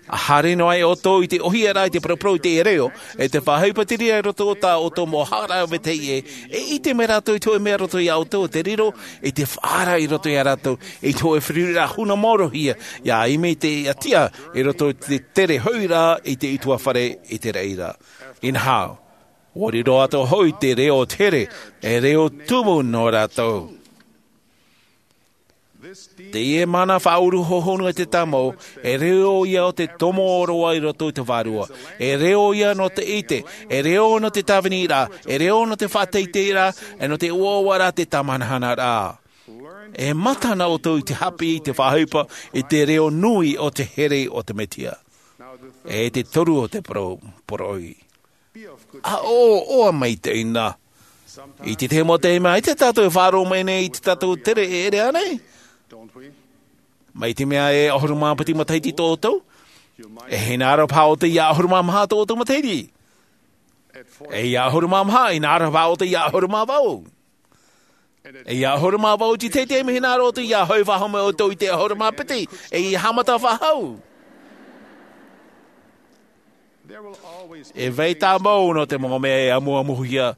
A haere noa ai ʻoutou i te ʻohie ra i te paraparau i te reo, e te faʻaʻite i roto i tā ʻoutou mau haʻaraʻa vetahi ʻē, e ʻite mai rātou i te hōʻē mea roto iā ʻoutou, te riro i te faʻaara i roto iā rātou, i te hōʻē feruriraʻa huna māorohia, ʻia ʻimi te ʻatiʻa i roto i te tere hoʻi ra i te ʻutuāfare i te raʻi ra. Inaha, ʻua riro atoʻa hoʻi te reo o te here, e reo tumu nō rātou. Teie mana faʻauru hohonu e te tāmau, e reo ia o te tomo ʻōroʻa i roto i te vārua, e reo ia nō te ʻite, e reo nō te tāviniraʻa, e reo nō te faʻateiteiraʻa, e nō te ʻoaʻoa ra te tāmanahanaraʻa. E mata na ʻoutou i te haʻapiʻi i te faʻaʻite i te reo nui o te here o te Mesia. E te toru o te poro-, poroʻi. A ʻoaʻoa maitaʻi na. I te tahi mau taime, ʻaita tātou e faʻaroʻo mai nei i te tātou tere e ʻere ānei? Mai te mea e ʻahuru mā piti matahiti tō ʻoutou, e hinaʻaro paha ʻoutou ʻia ʻahuru mā maha tō ʻoutou matahiti. E ʻia ʻahuru mā maha, hinaʻaro paha ʻoutou ʻia ʻahuru mā vaʻu. E ʻia ʻahuru mā vaʻu i te taime, hinaʻaro ʻoutou ʻia hoʻi faʻahou mai ʻoutou i te ʻahuru mā piti, e ʻia haʻamata faʻahou. E vai tāmau nō te mau mea e amuamuhia,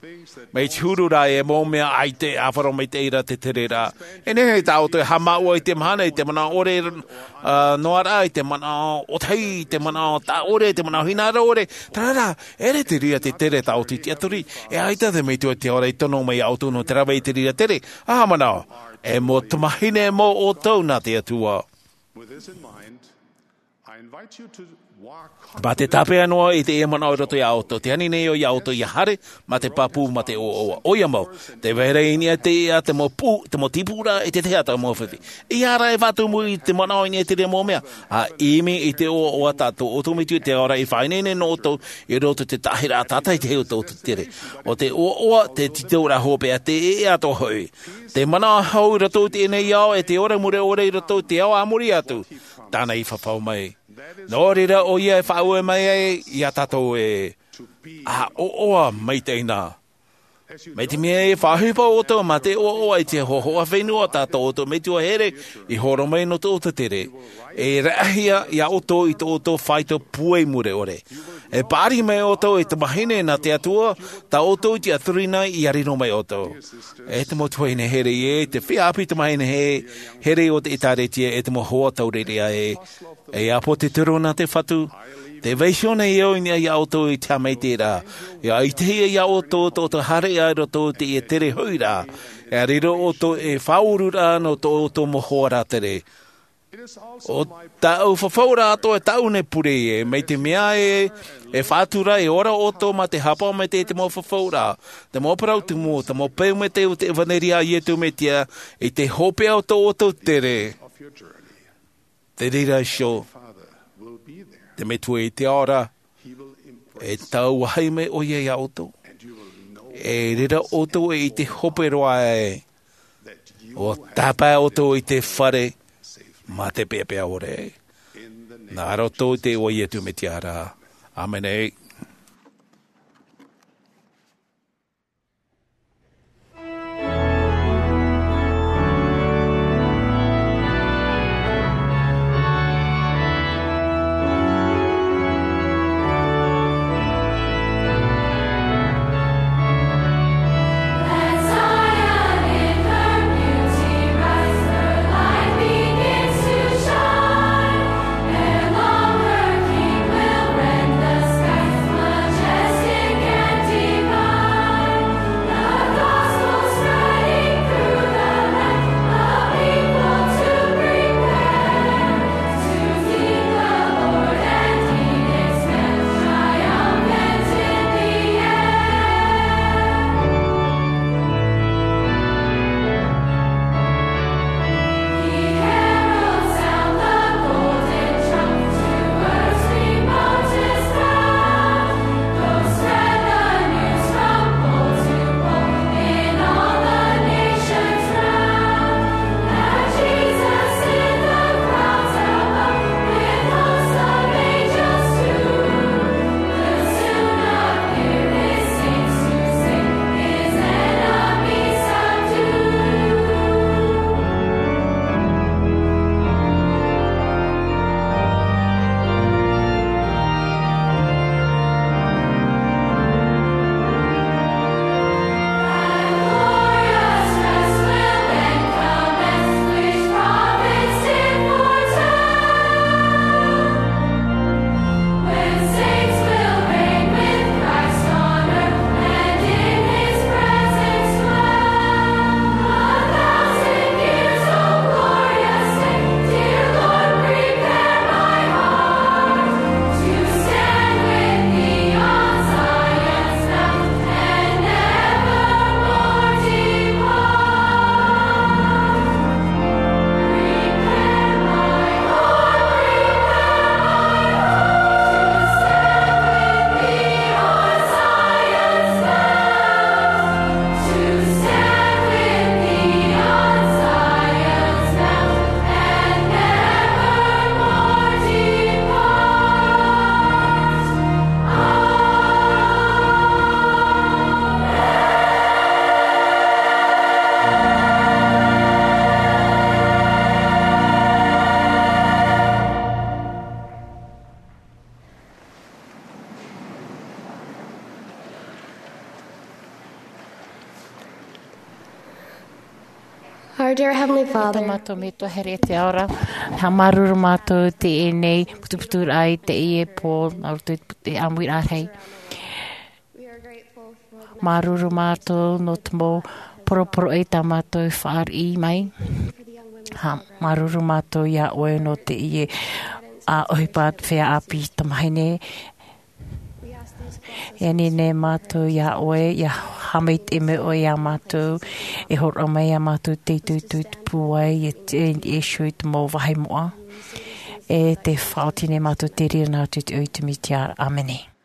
mai te huru ra e mau mea ʻaita e ʻāfaro maitaʻi ra te tere ra. E nehenehe tā ʻoutou e haʻamāuʻa i te mahana, i te manaʻo ʻore, ā, noa ra, i te manaʻo ʻōtahi, i te manaʻo taʻa ʻore, i te manaʻo hinaʻaro ʻore, terā rā, e ʻere te reira te tere tā ʻoutou i tiʻaturi, e ʻaita te Metua i te ao ra i tono mai iā ʻoutou nō te rave i te reira tere, ā, manaʻo, e mau tamahine mau ʻoutou nā te Atua. Mā te tāpeʻa noa i teie manaʻo i roto iā ʻoutou, tē ani nei au iā ʻoutou ʻia haere, mā te pāpū, mā te ʻoaʻoa. ʻOia mau, tē vai ra i niʻa i te, ā, te mau pū, te mau tīpū ra, e te tahi atu mau fifi. ʻEiaha rā e faʻatumu i te manaʻo i niʻa i te reira mau mea, ā, ʻimi i te ʻoaʻoa tā tō ʻoutou Metua i te ao ra i faʻaineine nō ʻoutou, i roto i te taʻahiraʻa tātaʻitahi o tō ʻoutou tere. ʻO te ʻoaʻoa, te tītauraʻa hopeʻa, te ʻēʻa atoʻa hoʻi. Te manaʻo hau i roto i teie nei ao, e te ora mure ʻore i roto i te ao a muri atu. Tāna i fafau mai. Nō reira ʻoia e faʻaue mai ai iā tātou ē, a ʻoaʻoa maitaʻi na. Mai te mea e faʻaʻohipa ʻoutou mā te ʻoaʻoa i te hōhoʻa fenua tā tō ʻoutou Metua here i horo mai nō tō ʻoutou tere, e raʻahia iā ʻoutou i tō ʻoutou faito puai mure ʻore. E paʻari mai ʻoutou e tamahine nā te Atua, tā ʻoutou i tiʻaturi nei ʻia riro mai ʻoutou. E te mau tuahine here ē, te feiā ʻāpī tamahine he-, here o te ʻĒtārētia, e te mau hoa taureʻareʻa ē, e ʻāpōsetolo nā te Fatu, tē vai iho nei au i niʻa iā ʻoutou i te haʻamaitaʻiraʻa, ʻia ʻitehia iā ʻoutou tō ʻoutou haereraʻa i roto i te tere hoʻi ra, ʻia riro ʻoutou ei faʻaururaʻa nō tō ʻoutou mau hoa rātere. ʻO tāʻu fafauraʻa atoʻa e tāʻu nei pure ē, mai te mea ē, e faʻatura e ora ʻoutou mā te haʻapaʻo maitaʻi i te mau fafauraʻa, te mau parau tumu, te mau peu maitaʻi o te ʻevanelia a Iesu Mesia, i te hopeʻa o tō ʻoutou tere. Te reira iho, te Metua i te ao ra, e tauahi mai ʻoia iā ʻoutou. E reira ʻoutou e ʻite hope roa ai, ʻua tāpae ʻoutou i te fare, mā te peʻapeʻa ʻore. Nā roto i te iʻoa o Iesu Mesia ra. ʻĀmene. Our dear Heavenly Father, tā mātou metua here i te ao ra, e māuruuru mātou i teie nei putuputuraʻa i teie pō, nā roto i te ʻāmuiraʻa rahi. Māuruuru mātou nō te mau poroporoʻi tā mātou i fāriʻi mai. Māuruuru mātou iā ʻoe nō teie ʻohipa feiā ʻāpī tamāhine. E ani nei mātou iā ʻoe, ia haʻamaitaʻi mai ʻoe iā mātou, e hōroʻa mai iā mātou te tuitui te pūai, e te iesu i te mau vāhi moʻa. E te faʻaoti nei mātou te reira nā roto i te iʻoa o iesu mesia, ʻāmene.